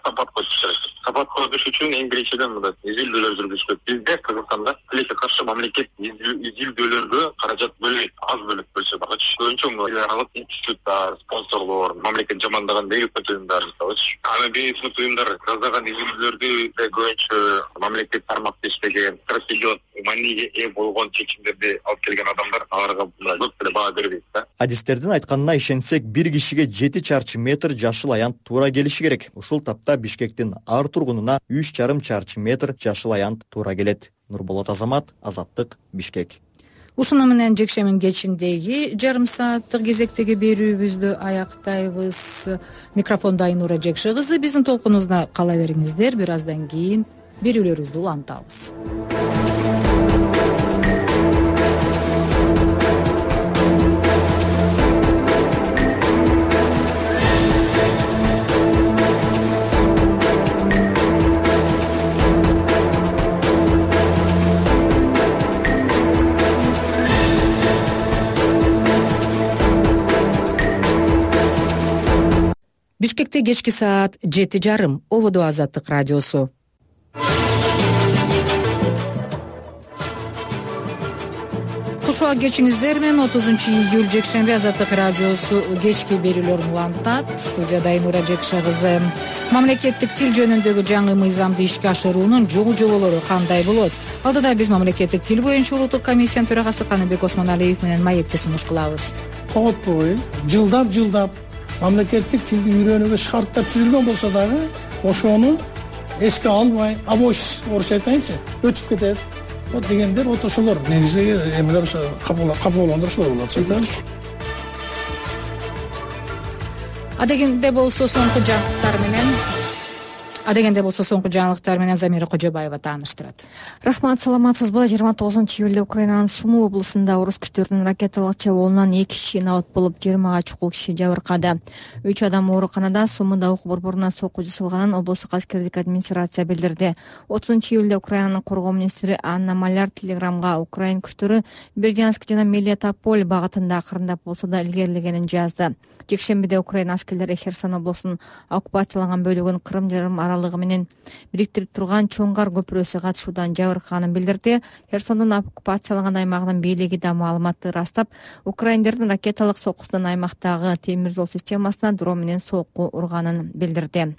сапат коюш керек. Сапат коюш үчүн эң биринчиден мындай изилдөөлөр жүргүзүш керек. Бизде Кыргызстанда тилекке каршы мамлекет изилдөөлөргө каражат бөлөйт, аз бөлөп бөлсө дагы. Көбүнчө эл аралык институттар, спонсорлор, мамлекет жамандаган бейөкмөт уюмдар мисалы. Аны бейөкмөт уюмдар жасаган изилдөөлөрдү көбүнчө мамлекет тармакта иштеген, стратегиялык мааниге ээ болгон чечимдерди алып келген адамдар аларга көп деле баа бербейт да. Адистердин айтканына ишенсек, бир кишиге 7 чарчы метр жашыл аянт туура келиши керек. Ушул тапта Бишкектин ар тургунуна 3,5 чарчы метр жашыл аянт туура келет. Нурболот Азамат, Азаттык, Бишкек. Ушуну менен жекшемби кечиндеги жарым сааттык кезектеги берүүбүздү аяктайбыз. Микрофондо Айнура Жекши кызы. Биздин толкунубузда кала бериңиздер. Бир аздан кийин берүүлөрүбүздү улантабыз. Бишкекте кечки саат 7:30. Ободо Азаттык радиосу. Куш убак кечиңиздер менен 30-июль жекшемби Азаттык радиосу кечки берүүлөрүн улантат. Студияда Айнура Жекша кызы. Мамлекеттик тил жөнүндөгү жаңы мыйзамды ишке ашыруунун жол-жоболору кандай болот? Алдыда биз мамлекеттик тил боюнча улуттук комиссиянын төрагасы Каныбек Осмоналиев менен маекти сунуш кылабыз. Коготпой жылдап мамлекеттик тилди үйрөнүүгө шарттар түзүлгөн болсо дагы ошону эске албай, абойсуз орусча айтайынчы, өтүп кетет. Вот дегендер вот ошолор негизи эмелер ошо капа болгондор ошолор болот айтам. Адегенде болсо соңку жаңылыктар менен Замира Кожобаева тааныштырат. Рахмат, саламатсызбы? 29-июлда Украинанын Сумы облусунда орус күчтөрүнүн ракеталык чабуулунан 2 киши набат болуп, 20га чукул киши жабыркады. 3 адам ооруканада, Сумуда ук борборунан сокку жасалганын облустук аскердик администрация билдирди. 30-июлда Украинанын коргоо министри Анна Маляр телеграмга Украин күчтөрү Бердянск жана Мелитополь багытында акырындап болсо да илгерилегенин жазды. Жекшембиде Украин аскерлери Херсон облусунун оккупацияланган бөлүгүн Крым жарым аралыгы менен бириктирип турган Чоңгар көпүрөсү катышуудан жабыркаганын билдирди. Херсондун оккупацияланган аймагынын бийлиги да маалыматты ырастап, украиндердин ракеталык соккусунан аймактагы темир жол системасына дрон менен сокку урганын билдирди.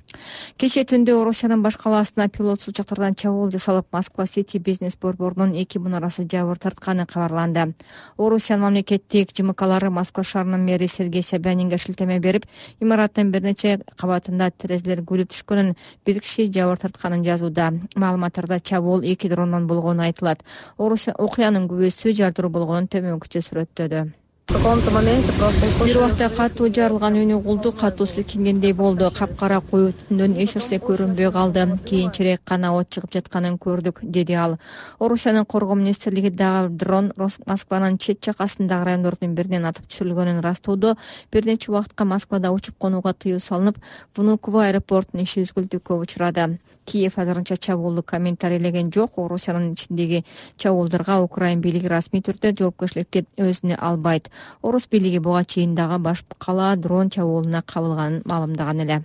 Кечээ түндө Орусиянын баш калаасына пилотсуз учактардан чабуул жасалып, Москва-Сити бизнес борборунун 2 мунарасы жабыр тартканы кабарланды. Орусиянын мамлекеттик ЖМКлары Москва шаарынын мэри Сергей Собянинге шилтеме берип, имараттын бир нече кабатында терезелер күлүп түшкөнүн, бир киши жабыр тартканын жазууда. Маалыматтарда чабуул 2 дрондон болгону айтылат. Окуянын күбөсү жардыруу болгонун төмөнкүчө сүрөттөдү. В каком-то моменте просто услышала. Бир убакта катуу жарылган үнү угулду, катуу силкингендей болду. Капкара коюу түндөн эч нерсе көрүнбөй калды. Кийинчерээк гана от чыгып жатканын көрдүк, деди ал. Орусиянын коргоо министрлиги дагы дрон Москванын чет жакасындагы райондордун биринен атып түшүрүлгөнүн ырастоодо. Бир нече убакытка Москвада учуп конууга тыюу салынып, Внуково аэропортунун иши үзгүлтүккө учурады. Киев азырынча чабуулду комментарийлеген жок. Орусиянын ичиндеги чабуулдарга Украин бийлиги расмий түрдө жоопкерчиликти өзүнө албайт. Орус бийлиги буга чейин дагы баш кала дрон чабуулуна кабылганын маалымдаган эле.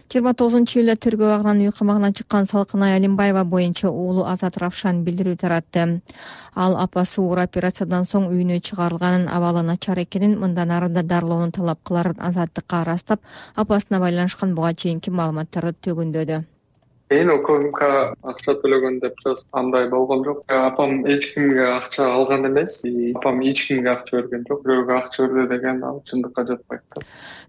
29-июлда тергөө агынан үй камагына чыккан Салкынай Алимбаева боюнча уулу Азат Равшан билдирүү таратты. Ал апасы оор операциядан соң үйүнө чыгарылганын, абалы начар экенин, мындан ары да дарылоону талап кыларын Азаттыкка ырастап, апасына байланышкан буга чейинки маалыматтарды төгүндөдү. Мен ОКМК акча төлөгөн деп андай болгон жок. Апам эч кимге акча алган эмес, апам эч кимге акча берген жок. Бирөөгө акча берди деген ал чындыкка жатпайт да.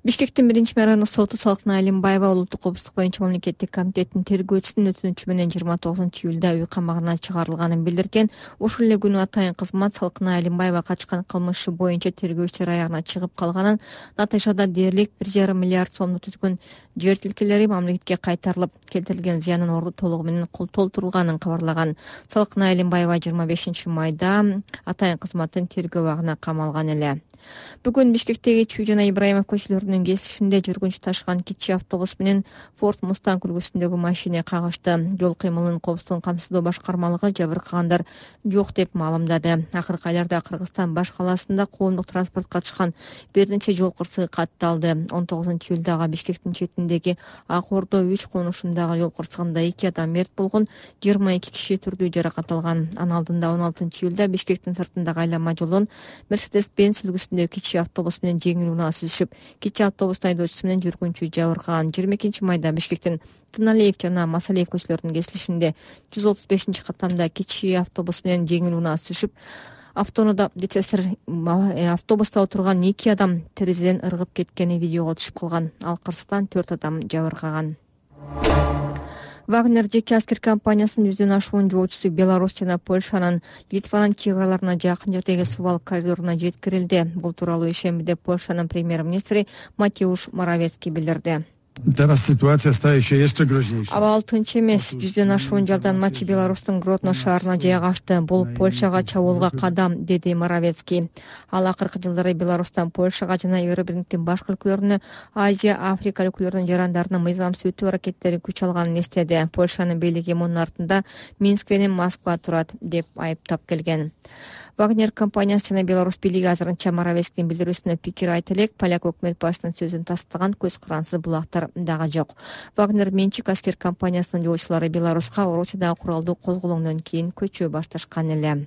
Бишкектин 1-райондук соту Салкынай Алимбаева улуттук коопсуздук боюнча мамлекеттик комитеттин тергөөчүсүнүн өтүнүчү менен 29-июлда үй камагына чыгарылганын билдирген. Ошол эле күнү атайын кызмат Салкынай Алимбаева качкан кылмышы боюнча тергөөчүлөр аягына чыгып калганын, натыйжада дээрлик 1,5 миллиард сомду түзгөн жер тилкелери мамлекетке кайтарылып, келтирилген зыянын орду толугу менен толтурулганын кабарлаган. Салкынай Алимбаева 25-майда атайын кызматтын тергөө абагына камалган эле. Бүгүн Бишкектеги Чүй жана Ибраимов көчөлөрүнүн кесишинде жүргүнчү ташыган кичи автобус менен Ford Mustang үлгүсүндөгү машина кагышты. Жол кыймылынын коопсуздугун камсыздоо башкармалыгы жабыркагандар жок деп маалымдады. Акыркы айларда Кыргызстан баш калаасында коомдук транспортко катышкан бир нече жол кырсыгы катталды. 19-июлдагы Бишкектин четиндеги Ак Ордо 3 конушундагы жол кырсыгында 2 адам мерт болгон, 22 киши түрдүү жаракат алган. Анын алдында 16-июлда Бишкектин сыртындагы айланма жолдон Mercedes-Benz үлгүсүндөгү кичи автобус менен жеңил унаа сүзүшүп, кичи автобустун айдоочусу менен жүргүнчү жабыркаган. 22-майда Бишкектин Тыналиев жана Масалиев көчөлөрүнүн кесилишинде 135-каттамда кичи автобус менен жеңил унаа сүзүшүп, автобуста отурган 2 адам терезеден ыргып кеткени видеого түшүп калган. Ал кырсыктан 4 адам жабыркаган. Вагнер жеке аскер компаниясынын жүзүнөн ашуунун жоочусу Беларусь жана Польшанын Литванын чек-араларына жакын жердеги субал коридоруна жеткирилди. Бул тууралуу ишембиде Польшанын премьер-министри Матеуш Моравецкий билдирди. Абал тынч эмес. Жүздөн ашуун жалданмачы Беларустун Гродно шаарына жайгашты. Бул Польшага чабуулга кадам, деди Моравецкий. Ал акыркы жылдары Беларустан Польшага жана Евробирликтин башка өлкөлөрүнө, Азия, Африка өлкөлөрүнүн жарандарынын мыйзамсыз өтүү аракеттери күч алганын эстеди. Польшанын бийлиги мунун артында Минск менен Москва турат деп айыптап келген. Вагнер компаниясы жана Беларусь бийлиги азырынча Моровецкиндин билдирүүсүнө пикир айта элек, поляк өкмөт башчысынын сөзүн тастаган көз карансыз булактар дагы жок. Вагнер менчик аскер компаниясынын жоочулары Беларуска Орусиядагы куралдуу козголоңдон кийин көчө башташкан эле.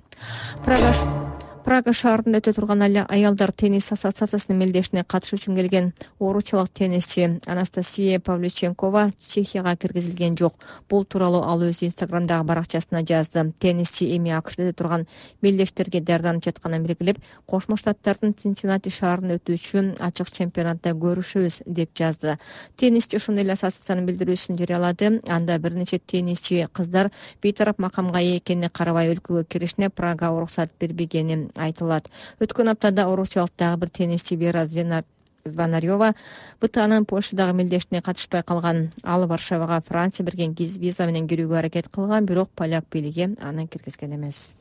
Прага шаарында өтө турган аялдар теннис ассоциациясынын мелдешине катышуу үчүн келген орусиялык теннисчи Анастасия Павлюченкова Чехияга киргизилген жок. Бул тууралуу ал өзү Инстаграмдагы баракчасына жазды. Теннисчи эми АКШда өтө турган мелдештерге даярданып жатканын белгилеп, Кошмо Штаттардын Цинциннати шаарында өтүүчү ачык чемпионатта көрүшөбүз деп жазды. Теннисчи ошондой эле ассоциациянын билдирүүсүн жарыялады. Анда бир нече теннисчи кыздар бейтарап макамга ээ экенине карабай өлкөгө киришине Прага уруксат бербегени айтылат. Өткөн аптада орусиялык дагы бир теннисчи Вера Звонарёва БТАнын Польшадагы мелдешине катышпай калган. Ал Варшавага Франция берген виза менен кирүүгө аракет кылган, бирок поляк бийлиги аны киргизген эмес.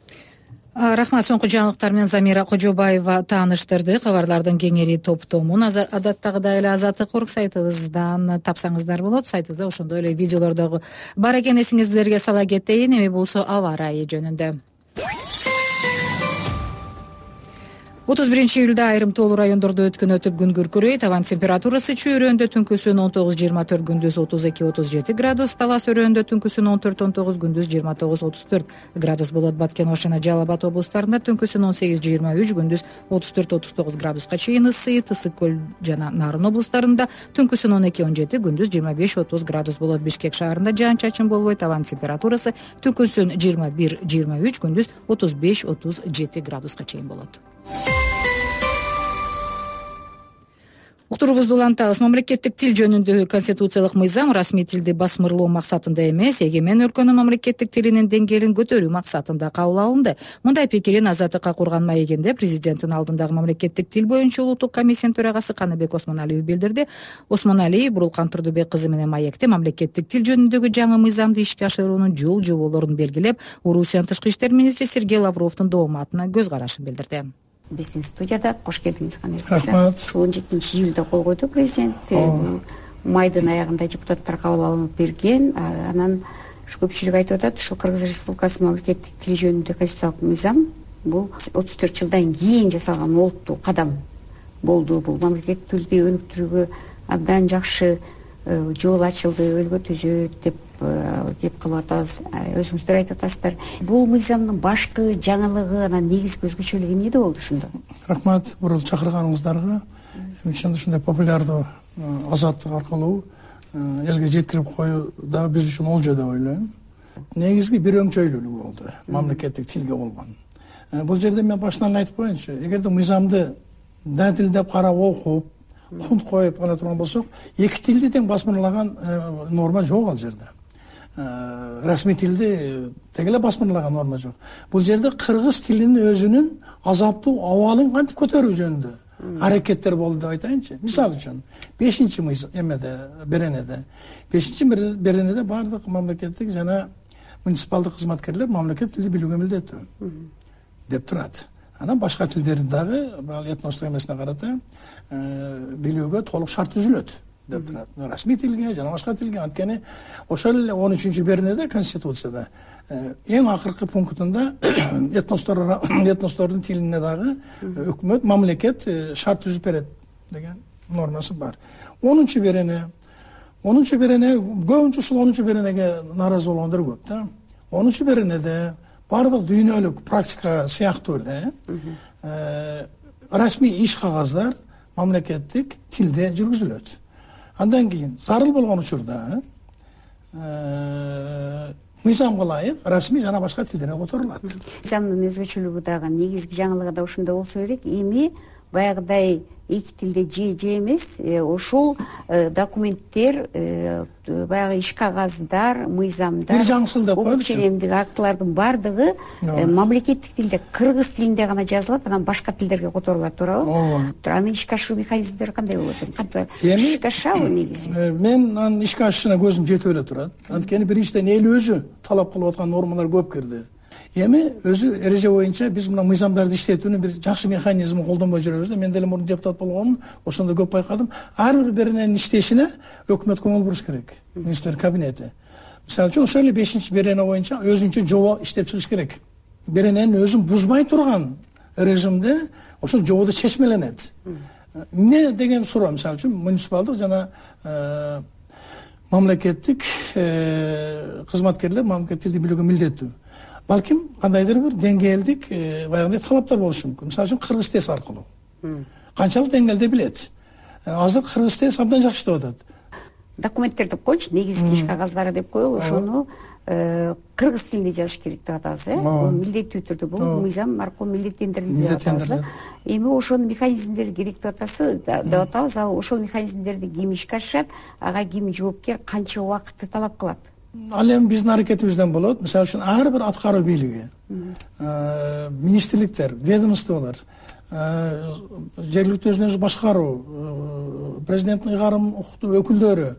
Рахмат. Соңку жаңылыктар менен Замира Кожобаева тааныштырды. Кабарлардын кеңири топтомун адаттагыдай эле Азаттык орг сайтыбыздан тапсаңыздар болот. Сайтыбызда ошондой эле видеолор дагы бар экен. Эсиңиздерге сала кетейин. Эми болсо аба ырайы жөнүндө. 31 июлда айрым тоолуу райондордо өткөн өтүп күн күркүрөйт. Абан температурасы Чүй өрөөндө түнкүсүн 19-24, күндүз 32-37 градус, Талас өрөөндө түнкүсүн 14-19, күндүз 29-34 градус болот. Баткен, Ош жана Жалал Абад облустарында түнкүсүн 18-23, күндүз 34-39 градуска чейин ысыйт. Ысык көл жана Нарын облустарында түнкүсүн 12-17, күндүз 25-30 градус болот. Бишкек шаарында жаан-чачын болбойт. Абан температурасы түнкүсүн 21-23, күндүз 35-37 градуска чейин болот. Уктуруубузду улантабыз. Мамлекеттик тил жөнүндөгү конституциялык мыйзам расмий тилди басмырлоо максатында эмес, эгемен өлкөнүн мамлекеттик тилинин деңгээлин көтөрүү максатында кабыл алынды. Мындай пикирин Азаттыкка курган маегинде президенттин алдындагы мамлекеттик тил боюнча улуттук комиссиянын төрагасы Каныбек Осмоналиев билдирди. Осмоналиев Бурулкан Турдубек кызы менен маекте мамлекеттик тил жөнүндөгү жаңы мыйзамды ишке ашыруунун жол жоболорун белгилеп, Орусиянын тышкы иштер министри Сергей Лавровдун дооматына көз карашын билдирди. Биздин студияда кош келдиңиз. Рахмат. 17-июлда кол койду президент. Майдын аягында депутаттар кабыл алынып берген. Анан көпчүлүк айтып атат, ушул Кыргыз Республикасынын мамлекеттик тил жөнүндө конституциялык мыйзам бул 34 жылдан кийин жасалган олуттуу кадам болду. Бул мамлекеттик тилди өнүктүрүүгө абдан жакшы жол ачылды, өлгө түзөт деп кеп кылып атабыз. Өзүңүздөр айтып атасыздар. Бул мыйзамдын башкы жаңылыгы, анан негизги өзгөчөлүгү эмнеде болду ошондо? Рахмат бул чакырганыңыздарга. Ошондой популярдуу Азаттык аркылуу элге жеткирип коюу дагы биз үчүн олжо деп ойлойм. Негизги бир өңчөйлүүлүгү болду мамлекеттик тилге болгон. Бул жерде мен башынан айтып коеюнчу, эгерде мыйзамды датилдеп карап окуп, кунт коюп кана турган болсок, эки тилди тең басмырлаган норма жок ал жерде. Расмий тилди тең эле басмырлаган норма жок. Бул жерде кыргыз тилинин өзүнүн азаптуу абалын кантип көтөрүү жөнүндө аракеттер болду деп айтайынчы. Мисалы үчүн 5-чи беренеде 5-чи беренеде баардык мамлекеттик жана муниципалдык кызматкерлер мамлекет тилди билүүгө милдеттүү деп турат. Анан башка тилдерди дагы этностук эмесине карата билүүгө толук шарт түзүлөт деп турат. Расмий тилге жана башка тилге. Анткени ошол эле 13-чү беренеде конституцияда эң акыркы пунктунда этностордун тилине дагы өкмөт, мамлекет шарт түзүп берет деген нормасы бар. 10-чу берене көбүнчө ушул 10-чу беренеге нааразы болгондор көп да. 10-чу беренеде бардык дүйнөлүк практика сыяктуу эле расмий иш кагаздар мамлекеттик тилде жүргүзүлөт. Андан кийин зарыл болгон учурда мыйзамга ылайык расмий жана башка тилдерге которулат. Мыйзамдын өзгөчөлүгү дагы, негизги жаңылыгы да ошондо болсо керек. Эми баягыдай эки тилде же эмес, ошол документтер, баягы иш кагаздар, мыйзамдар, бир жаңсыл деп коелучу. Ченемдик актылардын бардыгы мамлекеттик тилде, кыргыз тилинде гана жазылат, анан башка тилдерге которулат, туурабы? Анын ишке ашыруу механизмдери кандай болот? Кантип ишке ашабы негизи? Мен анын ишке ашышына көзүм жетип эле турат. Анткени биринчиден эл өзү талап кылып аткан нормалар көп кирди. Эми өзү эреже боюнча биз мына мыйзамдарды иштетүүнүн бир жакшы механизмин колдонбой жүрөбүз да. Мен деле мурун депутат болгонмун, ошондо көп байкадым. Ар бир берененин иштешине өкмөт көңүл буруш керек. Министрлер кабинети. Мисалы үчүн ошол эле 5-чи берене боюнча өзүнчө жобо иштеп чыгыш керек. берененин өзүн бузбай турган режимде ошол жободо чечмеленет. Эмне деген суроо, мисалы үчүн муниципалдык жана мамлекеттик кызматкерлер мамлекеттик тилди билүүгө милдеттүү. Балким кандайдыр бир деңгээлдик баягындай талаптар болушу мүмкүн. Мисалы үчүн кыргыз тез аркылуу. Канчалык деңгээлде билет. Азыр кыргыз тез абдан жакшы иштеп атат. Документтер деп коелучу, негизги иш кагаздары деп коелу, ошону кыргыз тилинде жазыш керек деп атабыз, бул милдеттүү түрдө, бул мыйзам аркылуу милдеттендирилди деп атабыз. Эми ошонун механизмдери керек деп атабыз. Ал ошол механизмдерди ким ишке ашырат, ага ким жоопкер, канча убакытты талап кылат? Ал эми биздин аракетибизден болот. Мисалы үчүн ар бир аткаруу бийлиги, министрликтер, ведомстволор, жергиликтүү өзүн өзү башкаруу, президенттин ыйгарым укуктуу өкүлдөрү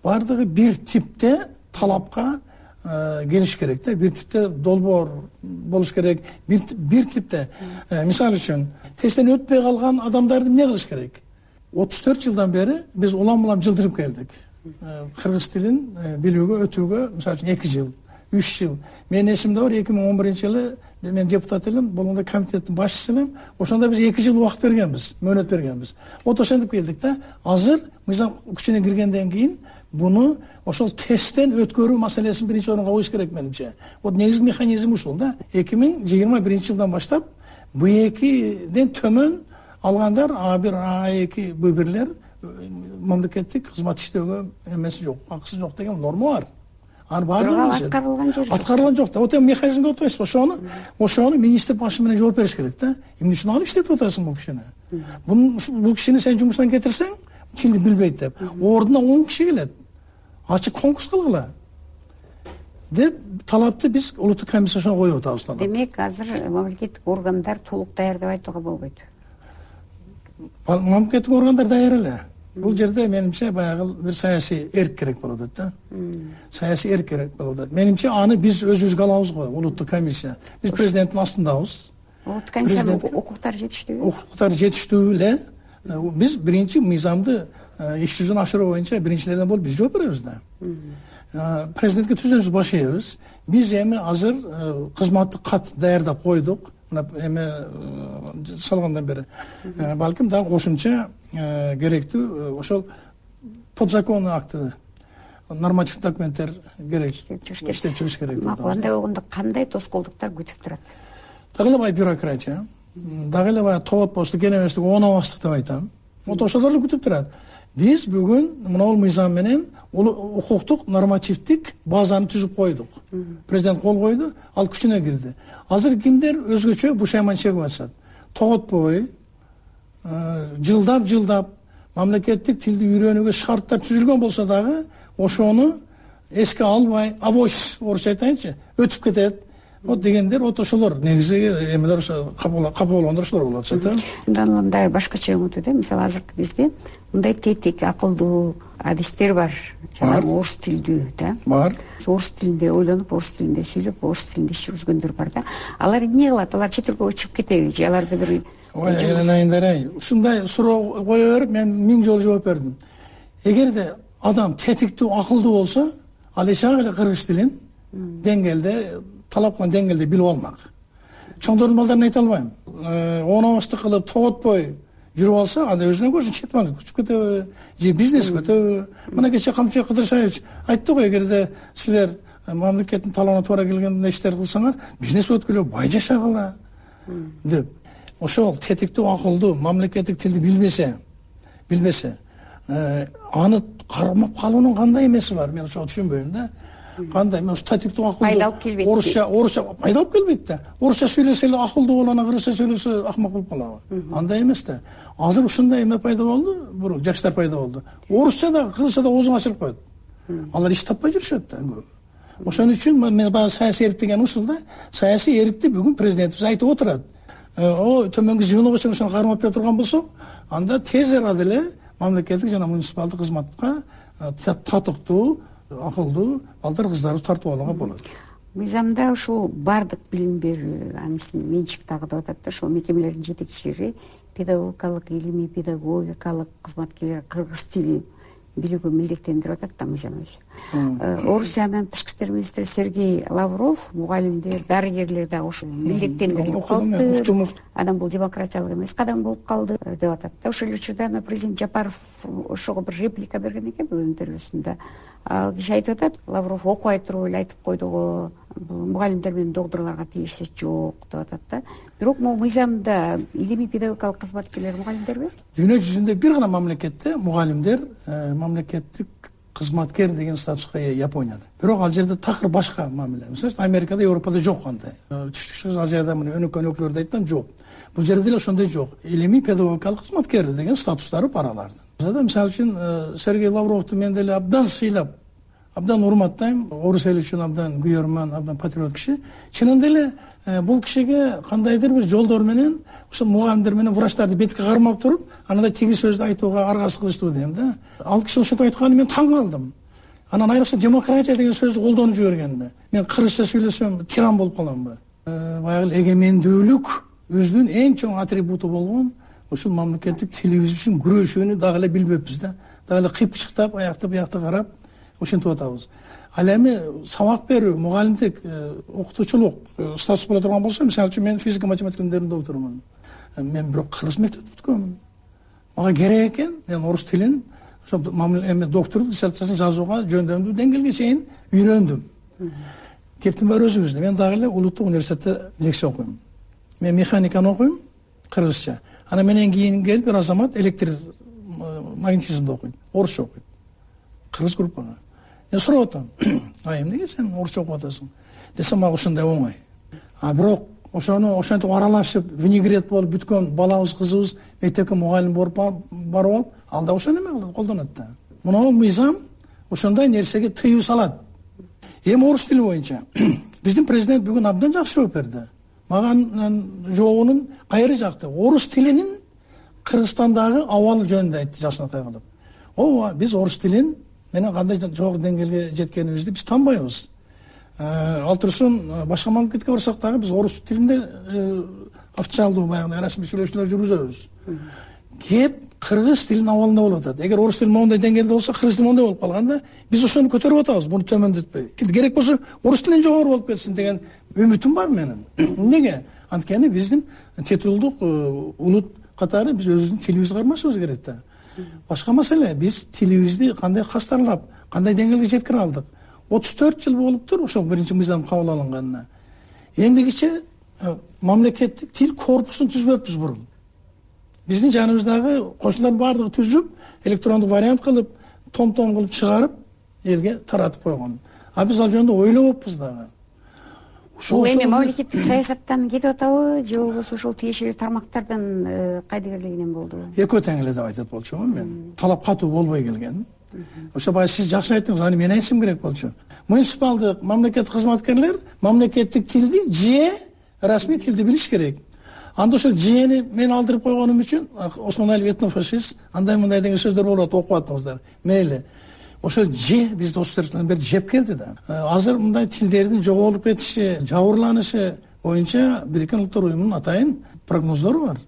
баардыгы бир типте талапка келиш керек да, бир типте долбоор болуш керек, бир типте. Мисалы үчүн тесттен өтпөй калган адамдарды эмне кылыш керек? 34 жылдан бери биз улам жылдырып келдик. Кыргыз тилин билүүгө өтүүгө мисалы үчүн 2 жыл, 3 жыл. Менин эсимде бар, 2011-жылы мен депутат элем, болгондо комитеттин башчысы элем. Ошондо биз 2 жыл убакыт бергенбиз, мөөнөт бергенбиз. Ошентип келдик да. Азыр мыйзам күчүнө киргенден кийин буну ошол тесттен өткөрүү маселесин биринчи орунга коюш керек менимче. Негизги механизм ушул да. 2021-жылдан баштап B2ден төмөн алгандар A1, A2, B1лер мамлекеттик кызмат иштөөгө эмеси жок, акысы жок деген норма бар. Аны баардыгы аткарылган жок да. Вот эми механизмге отурасыз, ошону министр башы менен жооп бериш керек да. Эмне үчүн алып иштетип атасың бул кишини? Бул кишини сен жумуштан кетирсең, тилди билбейт деп, ордуна 10 киши келет. Ачык конкурс кылгыла деп талапты биз улуттук комиссияга коюп атабыз. Демек, азыр мамлекеттик органдар толук даяр деп айтууга болбойт. Мамлекеттик органдар даяр эле. Бул жерде менимче баягы бир саясий эрк керек болот да. Саясий эрк керек болот. Менимче аны биз өзүбүзгө алабыз го, улуттук комиссия. Биз президенттин астындабыз. Улуттук комиссиянын укуктары жетиштүүбү? Укуктары жетиштүү эле. Биз биринчи мыйзамды иш жүзүнө ашыруу боюнча биринчилерден болуп биз жооп беребиз да. Президентке түзөбүз, баш ийебиз. Биз эми азыр кызматтык кат даярдап койдук. Эме салгандан бери балким дагы кошумча керектүү ошол подзаконный акты, нормативдик документтер керек, иштеп чыгыш керек. Андай болгондо кандай тоскоолдуктар күтүп турат? Дагы эле бай бюрократия, дагы эле бай тоотпостук, кенебестик, оонобастык деп айтам. Ошолор эле күтүп турат. Биз бүгүн мына мыйзам менен укуктук нормативдик базаны түзүп койдук. Президент кол койду, ал күчүнө кирди. Азыр кимдер өзгөчө бушайман чегип атышат. Тоготпой, жылдап мамлекеттик тилди үйрөнүүгө шарттар түзүлгөн болсо дагы ошону эске албай, авось орусча айтайынчы, өтүп кетет. Вот дегендер, ошолор негизи эмелер ошо капа болгондор ошолор болуп атышат да. Мындай башкача өңүтү да, мисалы азыркы кезде мындай тетик, акылдуу адистер бар, жана орус тилдүү да. Бар. Орус тилинде ойлонуп, орус тилинде сүйлөп, орус тилинде иш жүргүзгөндөр бар да. Алар эмне кылат? Алар чет элге чыгып кетеби же аларды бир айнайындар ушундай суроо кое берип мен 1000 жолу жооп бердим. Эгерде адам тетиктүү, акылдуу болсо, ал эч эле кыргыз тилин деңгээлде талап кылган деңгээлде билип алмак. Чоңдордун балдарын айта албайм. Оонобастык кылып, тоготпой жүрүп алса, анда өзүнө көрсүн четман күчүп кетеби, же бизнес кетеби. Мына кече Камчыбек Кыдыршаевич айтты го, эгерде силер мамлекеттин талабына туура келген иштер кылсаңар, бизнес өткүлө, бай жашагыла деп. Ошол тетиктүү, акылдуу, мамлекеттик тилди билбесе, аны кармап калуунун кандай эмеси бар? Мен ошого түшүнбөйм да. Кандай мен статиктүү акылдуу пайда алып келбейт. Орусча пайда алып келбейт да. Орусча сүйлөсө эле акылдуу болот, кыргызча сүйлөсө акмак болуп калабы? Андай эмес да. Азыр ушундай эме пайда болду, жаштар пайда болду. Орусча да, кыргызча да оозун ачырып коет. Алар иш таппай жүрүшөт да. Ошон үчүн мен баягы саясий эрк деген ушул да. Саясий эркти бүгүн президентибиз айтып отурат. Төмөнгү звено болсо ошону кармап бере турган болсок, анда тез арада эле мамлекеттик жана муниципалдык кызматка татыктуу, акылдуу балдар кыздарыбыз тартып алууга болот. Мыйзамда ушул бардык билим берүү, анысынын менчик дагы деп атат да, ошол мекемелердин жетекчилери педагогикалык, илимий педагогикалык кызматкерлер кыргыз тилин билүүгө милдеттендирип атат да мыйзам өзү. Орусиянын тышкы иштер министри Сергей Лавров мугалимдер, дарыгерлер дагы ошо милдеттендирилип калды. Анан бул демократиялык эмес кадам болуп калды деп атат да. Ошол учурда президент Жапаров ошого бир реплика берген экен бүгүн интервьюсунда. Ал киши айтып атат, Лавров окуй туруп эле айтып койду го, мугалимдер менен докторлорго тиешеси жок деп атат да. Бирок могу мыйзамда илимий педагогикалык кызматкерлер мугалимдерби? Дүйнө жүзүндө бир гана мамлекетте мугалимдер мамлекеттик кызматкер деген статуска ээ Японияда. Бирок ал жерде такыр башка мамиле. Мисалы Америкада, Европада жок андай. Түштүк Азияда мына өнөкөн өлкөлөрдө айттым жок. Бул жерде деле ошондой жок. Илимий педагогикалык кызматкер деген статустары бар алардын. Мисалы үчүн Сергей Лавровду мен деле абдан сыйлап, абдан урматтайм. Орус эли үчүн абдан күйөрман, абдан патриот киши. Чынында эле бул кишиге кандайдыр бир жолдор менен ошо мугалимдер менен врачтарды бетке кармап туруп, анан тиги сөздү айтууга аргасы кылыштуу дейм да. Ал киши ошентип айтканын мен таң калдым. Анан айрыкча демократия деген сөздү колдонуп жибергенде мен кыргызча сүйлөсөм тиран болуп каламбы? Баягы эгемендүүлүк өзүнүн эң чоң атрибуту болгон ушул мамлекеттик тилибиз үчүн күрөшүүнү дагы эле билбеппиз да. Дагы эле кыйпычыктап, аякты буякты карап ошентип атабыз. Ал эми сабак берүү, мугалимдик, окутуучулук статус боло турган болсо, мисалы үчүн мен физика математика илимдеринин докторумун. Мен бирок кыргыз мектепти бүткөнмүн. Мага керек экен, мен орус тилин, ошо доктордук диссертациясын жазууга жөндөмдүү деңгээлге чейин үйрөндүм. Кептин бар өзүбүздө. Мен дагы эле улуттук университетте лекция окуйм. Мен механиканы окуйм, кыргызча. Анан менен кийин келип бир азамат электр магнетизмди окуйт, орусча окуйт. Кыргыз группага. Мен сурап атам, эмнеге сен орусча окуп атасың? Десем, мага ошондой оңой. Бирок ошону ошентип аралашып, винегрет болуп бүткөн балабыз, кызыбыз мектепке мугалим барып алып, ал да ошону эме колдонот да. Мына мыйзам ошондой нерсеге тыюу салат. Эми орус тили боюнча биздин президент бүгүн абдан жакшы жооп берди. Мага жообунун кайры жакты. Орус тилинин Кыргызстандагы абалы жөнүндө айтты жакшынакай кылып. Ооба, биз орус тилин менен кандай жогору деңгээлге жеткенибизди биз танбайбыз. Ал турсун башка мамлекетке барсак дагы биз орус тилинде официалдуу баягы расмий сүйлөшүүлөр жүргүзөбүз. Кеп кыргыз тилинин абалында болуп атат. Эгер орус тили моундай деңгээлде болсо, кыргыз тили моундай болуп калганда, биз ошону көтөрүп атабыз, муну төмөндөтпөй. Керек болсо орус тилинен жогору болуп кетсин деген үмүтүм бар менин. Эмнеге? Анткени биздин титулдук улут катары биз өзүбүздүн тилибизди кармашыбыз керек да. Башка маселе, биз тилибизди кандай кастарлап, кандай деңгээлге жеткире алдык. 34 жыл болуптур ошол биринчи мыйзам кабыл алынганына. Эмдигиче мамлекеттик тил корпусун түзбөппүз бурун. Биздин жаныбыздагы кошуналардын баардыгы түзүп, электрондук вариант кылып, том кылып чыгарып, элге таратып койгон. Биз ал жөнүндө ойлобоппуз дагы. Бул эми мамлекеттик саясаттан кетип атабы, же болбосо ошол тиешелүү тармактардын кайдыгерлигинен болду? Экөө тең эле деп айтат болчумун мен. Талап катуу болбой келген. Ошо баягы сиз жакшы айттыңыз, аны мен айтышым керек болчу. Муниципалдык мамлекеттик кызматкерлер мамлекеттик тилди же расмий тилди билиш керек. Анда ошол жени мен алдырып койгонум үчүн Осмоналиев этнофашист, андай мындай деген сөздөр болот, окуп аттыңыздар. Мейли. Ошол же бизди 34 жылдан бери жеп келди да. Азыр мындай тилдердин жоголуп кетиши, жабырланышы боюнча Бириккен Улуттар Уюмунун атайын прогноздору бар.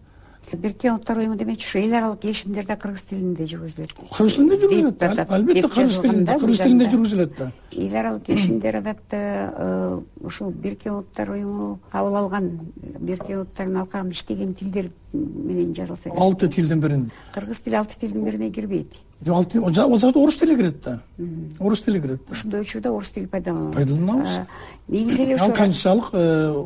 Бириккен Улуттар Уюму демекчи ошо эл аралык келишимдерде кыргыз тилинде жүргүзүлөт. Кыргыз тилинде жүргүзүлөт. Албетте кыргыз тилинде жүргүзүлөт да. Эл аралык келишимдер адатта ушул Бириккен Улуттар Уюму кабыл алган, Бириккен Улуттардын алкагында иштеген тилдер менен жазылса керек. 6 тилдин биринде. Кыргыз тили 6 тилдин бирине кирбейт. Жок, ал жерде орус тили кирет да. Орус тили кирет да. Ошондой учурда орус тили пайдаланылат. Пайдаланабыз. Негизи эле ошо канчалык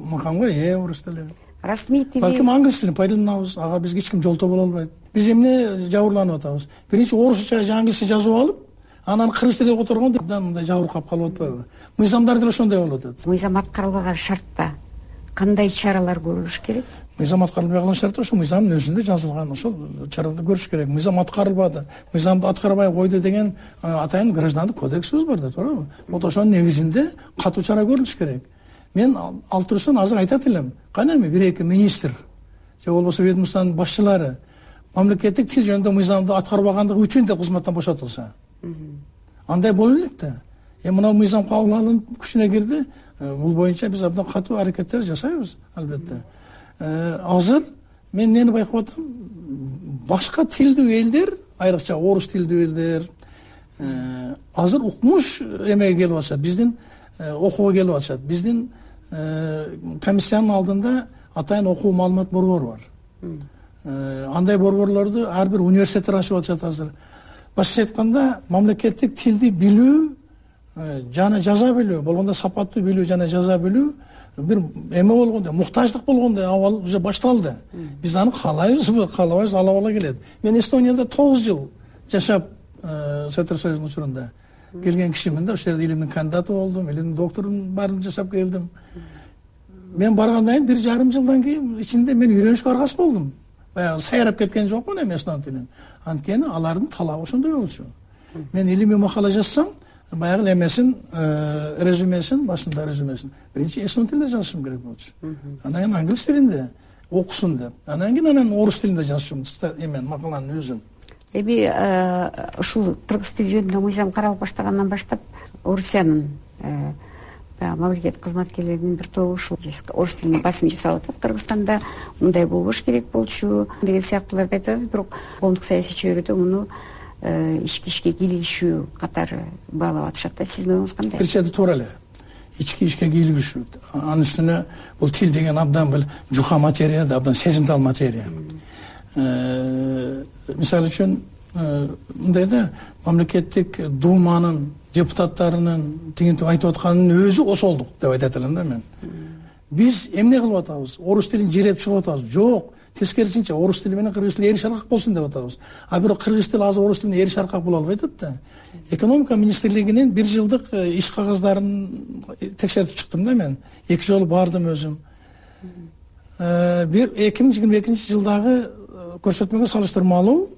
макамга ээ орус тили. Расмий тили. Балким англис тилин пайдаланабыз. Ага бизге эч ким жолтоо боло албайт. Биз эмне жабырланып атабыз? Биринчи орусча же англисче жазып алып, анан кыргыз тилине которгондо мындай жабыркап калып атпайбы? Мыйзамдар деле ошондой болуп атат. Мыйзам аткарылбаган шартта кандай чаралар көрүлүш керек? Мыйзам аткарылбай калган шартта ошо мыйзамдын өзүндө жазылган ошол чараларды көрүш керек. Мыйзам аткарылбады, мыйзамды аткарбай койду деген атайын граждандык кодексибиз бар да, тоорабы? Вот ошонун негизинде катуу чара көрүлүш керек. Мен ал турсун азыр айтат элем. Кана эми бир-эки министр же болбосо ведомствонун башчылары мамлекеттик тил жөнүндө мыйзамды аткарбагандыгы үчүн да кызматтан бошотулса. Андай боло элек да. Мына мыйзам кабыл алынып күчүнө кирди. Бул боюнча биз абдан катуу аракеттер жасайбыз, албетте. Азыр мен эмнени байкап атам? Башка тилдүү элдер, айрыкча орус тилдүү элдер, азыр укмуш эмеге келип атышат, биздин окууга келип атышат. Биздин комиссиянын алдында атайын окуу маалымат борбору бар. Андай борборлорду ар бир университеттер ачып атышат азыр. Башкача айтканда, мамлекеттик тилди билүү жана жаза билүү, болгондо сапаттуу билүү жана жаза билүү бир эме болгондо, муктаждык болгондо абал уже башталды. Биз аны каалайбызбы, каалабайбыз, ала бала келет. Мен Эстонияда 9 жыл жашап, Советтер Союзунун учурунда келген кишимин да, ошол жерде илимдин кандидаты болдум, илимдин докторун баарын жасап келдим. Мен баргандан кийин 1,5 жылдан кийин ичинде мен үйрөнүшкө аргасыз болдум. Баягы сайрап кеткен жокмун эми эстон тилин. Анткени алардын талабы ошондой болчу. Мен илимий макала жазсам, баягы эмесин, резюмесин, башында резюмесин биринчи эстон тилинде жазышым керек болчу. Анан кийин англис тилинде окусун деп. Анан кийин орус тилинде жазышым, эмен макаланын өзүн. Эми ушул кыргыз тили жөнүндө мыйзам каралып баштагандан баштап Орусиянын мамлекеттик кызматкерлеринин бир тобу ушул орус тилине басым жасап атат. Кыргызстанда мындай болбош керек болчу деген сыяктууларды айтат, бирок коомдук саясий чөйрөдө муну ички кийлигишүү катары баалап атышат да. Сиздин оюңуз кандай? Бир чети туура эле. Ички кийлигишүү. Анын үстүнө бул тил деген абдан бир жука материя да, абдан сезимтал материя. Мисалы үчүн мындай да, мамлекеттик думанын депутаттарынын тигинтип айтып атканынын өзү осолдук деп айтат элем да мен. Биз эмне кылып атабыз? Орус тилин жиреп чыгып атабыз? Жок. Тескерисинче орус тили менен кыргыз тили эри шаркак болсун деп атабыз. А бирок кыргыз тили азыр орус тилине эри шаркак боло албай атат да. Экономика министрлигинин 1 жылдык иш кагыздарын текшерип чыктым да мен. 2 жолу бардым өзүм. 2022 жылдагы көрсөтмөгө салыштырмалуу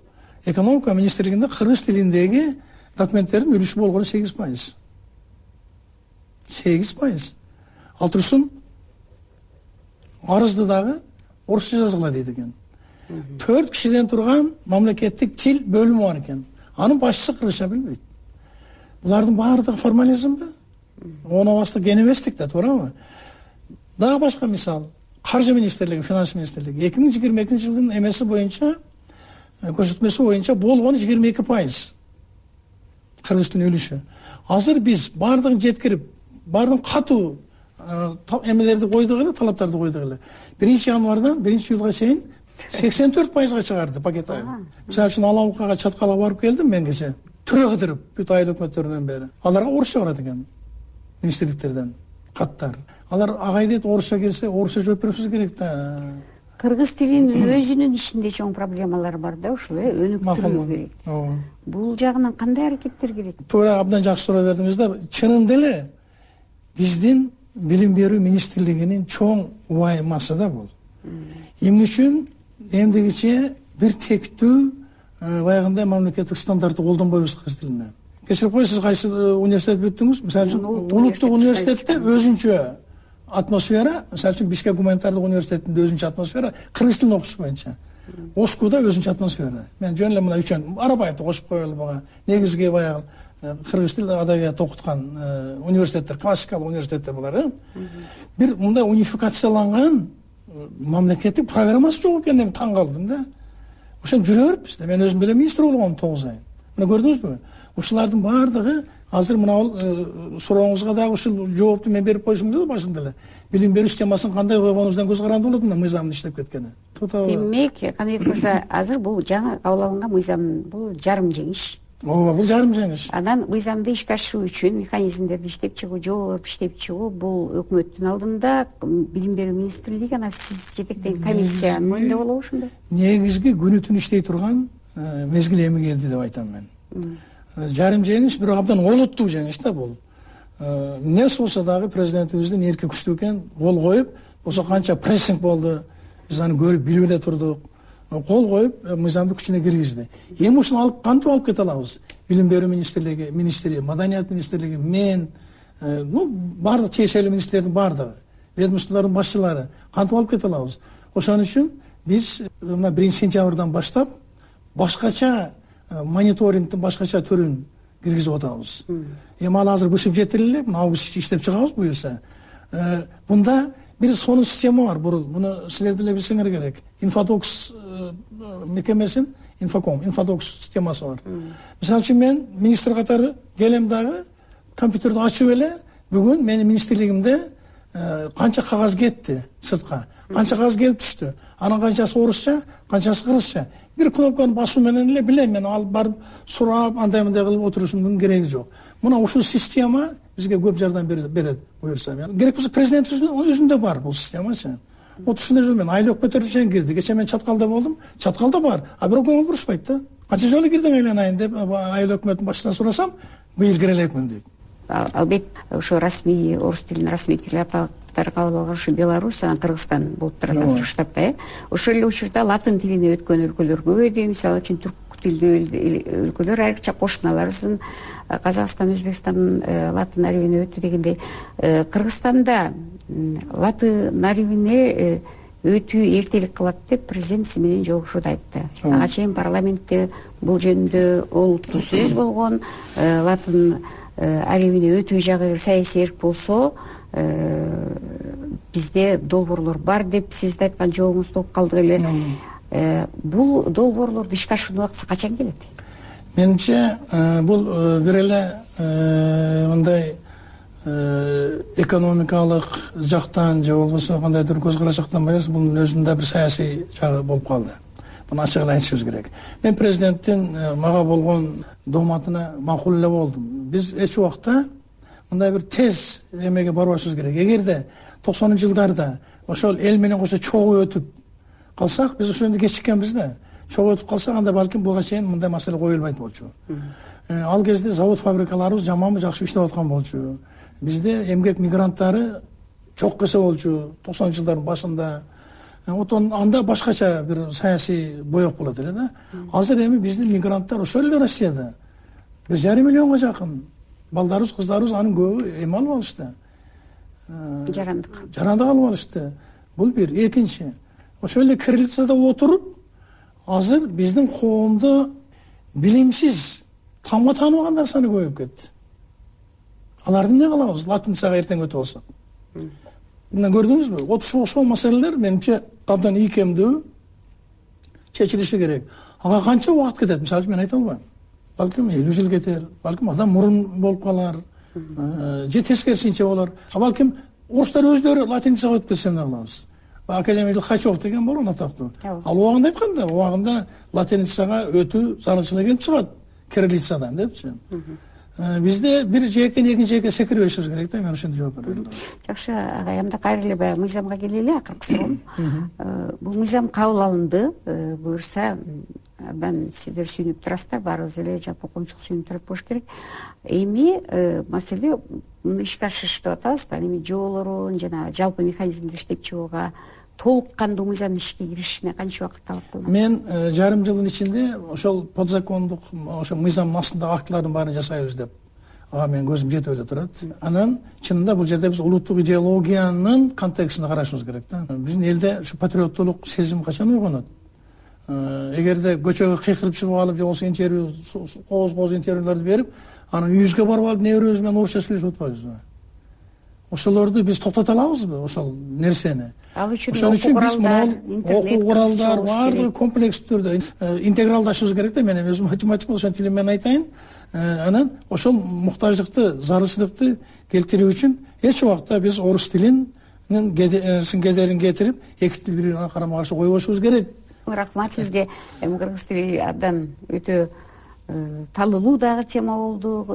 экономика министрлигинде кыргыз тилиндеги документтердин үлүшү болгону 8%. 8%. Ал турсун арызды дагы орусча жазгыла дейт экен. 4 кишиден турган мамлекеттик тил бөлүмү бар экен. Анын башчысы кыргызча билбейт. Булардын баардыгы формализмби? Оно башта генеместик да, туурабы? Дагы башка мисал. Каржы министрлиги, финанс министрлиги 2022 жылдын эмеси боюнча, көрсөтмөсү боюнча болгону 22%. Кыргыз тилинин үлүшү. Азыр биз баардыгын жеткирип, баардыгын катуу эмелерди койдук эле, талаптарды койдук эле. 1-январдан 1-июлга чейин 84%га чыгарды пакет айыл. Мисалы үчүн Алабукага чаткала барып келдим мен кече. Түрө кыдырып, бүт айыл өкмөттөрүнөн бери. Аларга орусча барат экен. Министрликтерден каттар. Алар агай дейт, орусча келсе, орусча жооп беришибиз керек да. Кыргыз тилинин өзүнүн ичинде чоң проблемалар бар да, ушул өнүктүрүү керек. Бул жагынан кандай аракеттер керек? Туура, абдан жакшы суроо бердиңиз да. Чынында эле биздин билим берүү министрлигинин чоң убаймасы да бул. Эмне үчүн эмдигиче бир тектүү баягындай мамлекеттик стандартты колдонбойбуз кыргыз тилине. Кечирип коесуз, кайсы университет бүттүңүз? Мисалы үчүн улуттук университетте өзүнчө атмосфера, мисалы үчүн Бишкек гуманитардык университетинде өзүнчө атмосфера, кыргыз тилин окуш боюнча. Оскуда өзүнчө атмосфера. Мен жөн эле мына үчөн Арабаевди кошуп коелу бага. Негизги баягы кыргыз тил адабият окуткан университеттер, классикалык университеттер булар. Бир мындай унификацияланган мамлекеттик программасы жок экенин таң калдым да. Ошон жүрө бериппиз да. Мен өзүм деле министр болгом 9 ай. Мына көрдүңүзбү? Ушулардын баардыгы азыр мына сурооңузга дагы ушул жоопту мен берип койсом да башында эле. Билим берүү системасын кандай койгонубуздан көз каранды болот мына мыйзамдын иштеп кеткени. Демек, кандай болсо азыр бул жаңы кабыл алынган мыйзам бул жарым жеңиш. Ооба, бул жарым жеңиш. Анан мыйзамды ишке ашыруу үчүн механизмдерди иштеп чыгуу, жол берип иштеп чыгуу бул өкмөттүн алдында, билим берүү министрлиги, анан сиз жетектеген комиссиянын мойнунда болобу ошондо? Негизги күнү түн иштей турган мезгил эми келди деп айтам мен. Жарым жеңиш, бирок абдан олуттуу жеңиш да бул. Эмне болсо дагы президентибиздин эрки күчтүү экен, кол коюп, болсо канча прессинг болду, биз аны көрүп билип эле турдук. Кол коюп, мыйзамды күчүнө киргизди. Эми ушуну алып кантип алып кете алабыз? Билим берүү министри, маданият министрлиги, мен, баардык тиешелүү министрлердин баардыгы, ведомстволордун башчылары кантип алып кете алабыз? Ошон үчүн биз мына 1-сентябрдан баштап башкача мониторингдин башкача түрүн киргизип атабыз. Эми ал азыр бышып жетирилип, август иштеп чыгабыз буюрса. Бунда бир сонун система бар бурул. Муну силер деле билсеңер керек. Инфотокс мекемесин инфоток системасы бар. Мисалы үчүн мен министр катары келем дагы компьютерди ачып эле бүгүн менин министрлигимде канча кагаз кетти сыртка, канча кагаз келип түштү, анын канчасы орусча, канчасы кыргызча. Бир кнопканы басуу менен эле билем мен, алып барып сурап андай мындай кылып отурушумдун кереги жок. Мына ушул система бизге көп жардам берет буюрса. Керек болсо президенттин өзүндө бар бул системачы. Отушунда жол мен айыл өкмөттөрү кирди. Кече мен Чаткалда болдум. Чаткалда бар. А бирок көңүл бурушпайт да. Канча жолу кирдиң айланайын деп айыл өкмөттүн башчысынан сурасам, быйыл кире элекмин дейт. Албетте ошо расмий орус тилин расмий тил аппараттары кабыл алган ушу Беларусь, анан Кыргызстан болуп турат азыр штабта. Ошол эле учурда латын тилине өткөн өлкөлөр көп эди. Мисалы үчүн түрк тилдүү өлкөлөр айрыкча кошуналарыбыздын Казакстан, Өзбекстан латын арабине өттү дегендей. Кыргызстанда латын арабине өтүү эртелик кылат деп президент сиз менен жолугушууда айтты. Ага чейин парламентте бул жөнүндө олуттуу сөз болгон. Латын арабине өтүү жагы саясий эрк болсо бизде долбоорлор бар деп сиздин айткан жообуңузду угуп калдык эле. Бул долбоорлорду ишке ашыруу убактысы качан келет? Менимче бул бир эле мындай экономикалык жактан же болбосо кандайдыр көз караш жактан эмес, бунун өзүндө бир саясий жагы болуп калды. Муну ачык эле айтышыбыз керек. Мен президенттин мага болгон дооматына макул эле болдум. Биз эч убакта мындай бир тез эмеге барбашыбыз керек. Эгерде 90-жылдарда ошол эл менен кошо чогуу өтүп калсак, биз ошондо кечиккенбиз да. Чогуу өтүп калсак, анда балким буга чейин мындай маселе коюлбайт болчу. Ал кезде завод фабрикаларыбыз жаманбы жакшы иштеп аткан болчу. Бизде эмгек мигранттары чок эсе болчу 90-жылдардын башында. Анда башкача бир саясий боек болот эле да. Азыр эми биздин мигранттар ошол эле Россияда 1,5 миллионго жакын. Балдарыбыз, кыздарыбыз анын көбү эми алып алышты. Жарандык алып алышты. Бул бир. Экинчи, ошол эле кириллицада отуруп, азыр биздин коомдо билимсиз тамга тааныбагандар саны көбөйүп кетти. Аларды эмне кылабыз? Латинцага эртең өтүп алсак. Мына көрдүңүзбү? Ошол маселелер менимче абдан ийкемдүү чечилиши керек. Ага канча убакыт кетет? Мисалы мен айта албайм. Балким 50 жыл кетер, балким адам мурун болуп калар, же тескерисинче болор. Балким орустар өздөрү латинцага өтүп кетсе эмне кылабыз? Академик Лихачев деген болгон атактуу. Ал убагында айтканда, убагында латинцага өтүү зарылчылык келип чыгат кириллицадан депчи. Бизде бир жээктен экинчи жээкке секирбешибиз керек да, мен ошондой жооп берем. Жакшы, агай, анда кайра эле баягы мыйзамга келели, акыркы суроом. Бул мыйзам кабыл алынды, буюрса абдан сиздер сүйүнүп турасыздар, баарыбыз эле жалпы коомчулук сүйүнүп турат болуш керек. Эми маселе муну ишке ашырыш деп атабыз да, эми жоолорун жана жалпы механизмди иштеп чыгууга толук кандуу мыйзамдын ишке киришине канча убакыт талап кылынат? Мен жарым жылдын ичинде ошол подзакондук ошо мыйзамдын астындагы актылардын баарын жасайбыз деп ага менин көзүм жетип эле турат. Анан чынында бул жерде биз улуттук идеологиянын контекстинде карашыбыз керек да. Биздин элде ушу патриоттулук сезим качан ойгонот? Эгерде көчөгө кыйкырып чыгып алып же болбосо интервью кооз интервьюларды берип, анан үйүбүзгө барып алып небирөөбүз менен орусча сүйлөшүп атпайбызбы? Ошолорду биз токтото алабызбы, ошол нерсени? Ал үчүн окуу куралдар баардыгы комплекс түрдө интегралдашыбыз керек да. Мен өзүм математик, ошол тилим менен айтайын. Анан ошол муктаждыкты, зарылчылыкты келтирүү үчүн эч убакта биз орус тилинин кедерин кетирип, эки тил бири-бирине карама каршы койбошубуз керек. Рахмат сизге. Кыргыз тили абдан өтө талылуу дагы тема болду,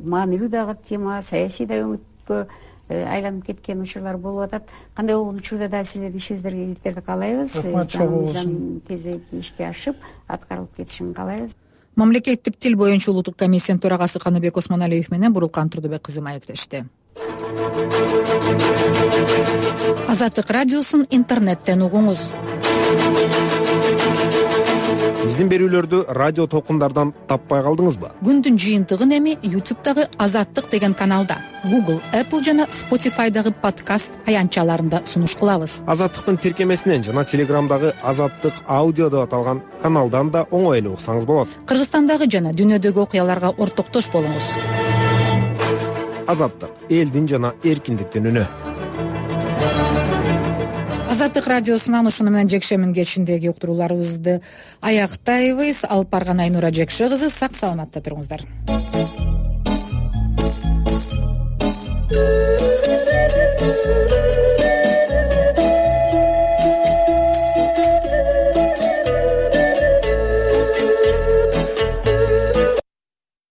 маанилүү дагы тема, саясий да өңүткө айланып кеткен учурлар болуп атат. Кандай болгон учурда да сиздердин ишиңиздерге ийгиликтерди каалайбыз. Жаңы кезеги ишке ашып, аткарылып кетишин каалайбыз. Мамлекеттик тил боюнча улуттук комиссиянын төрагасы Каныбек Осмоналиев менен Бурулкан Турдубек кызы маектешти. Азаттык радиосун интернеттен угуңуз. Биздин берүүлөрдү радио толкундардан таппай калдыңызбы? Күндүн жыйынтыгын эми YouTube'дагы Азаттык деген каналда, Google, Apple жана Spotify'дагы подкаст аянтчаларында сунуш кылабыз. Азаттыктын тиркемесинен жана Телеграмдагы Азаттык аудио деп аталган каналдан да оңой эле уксаңыз болот. Кыргызстандагы жана дүйнөдөгү окуяларга ортоктош болуңуз. Азаттык — элдин жана эркиндиктин үнү. Азаттык радиосунан ушуну менен жекшемби кечиндеги уктурууларыбызды аяктайбыз. Алып барган Айнура Жекше кызы, сак саламатта туруңуздар.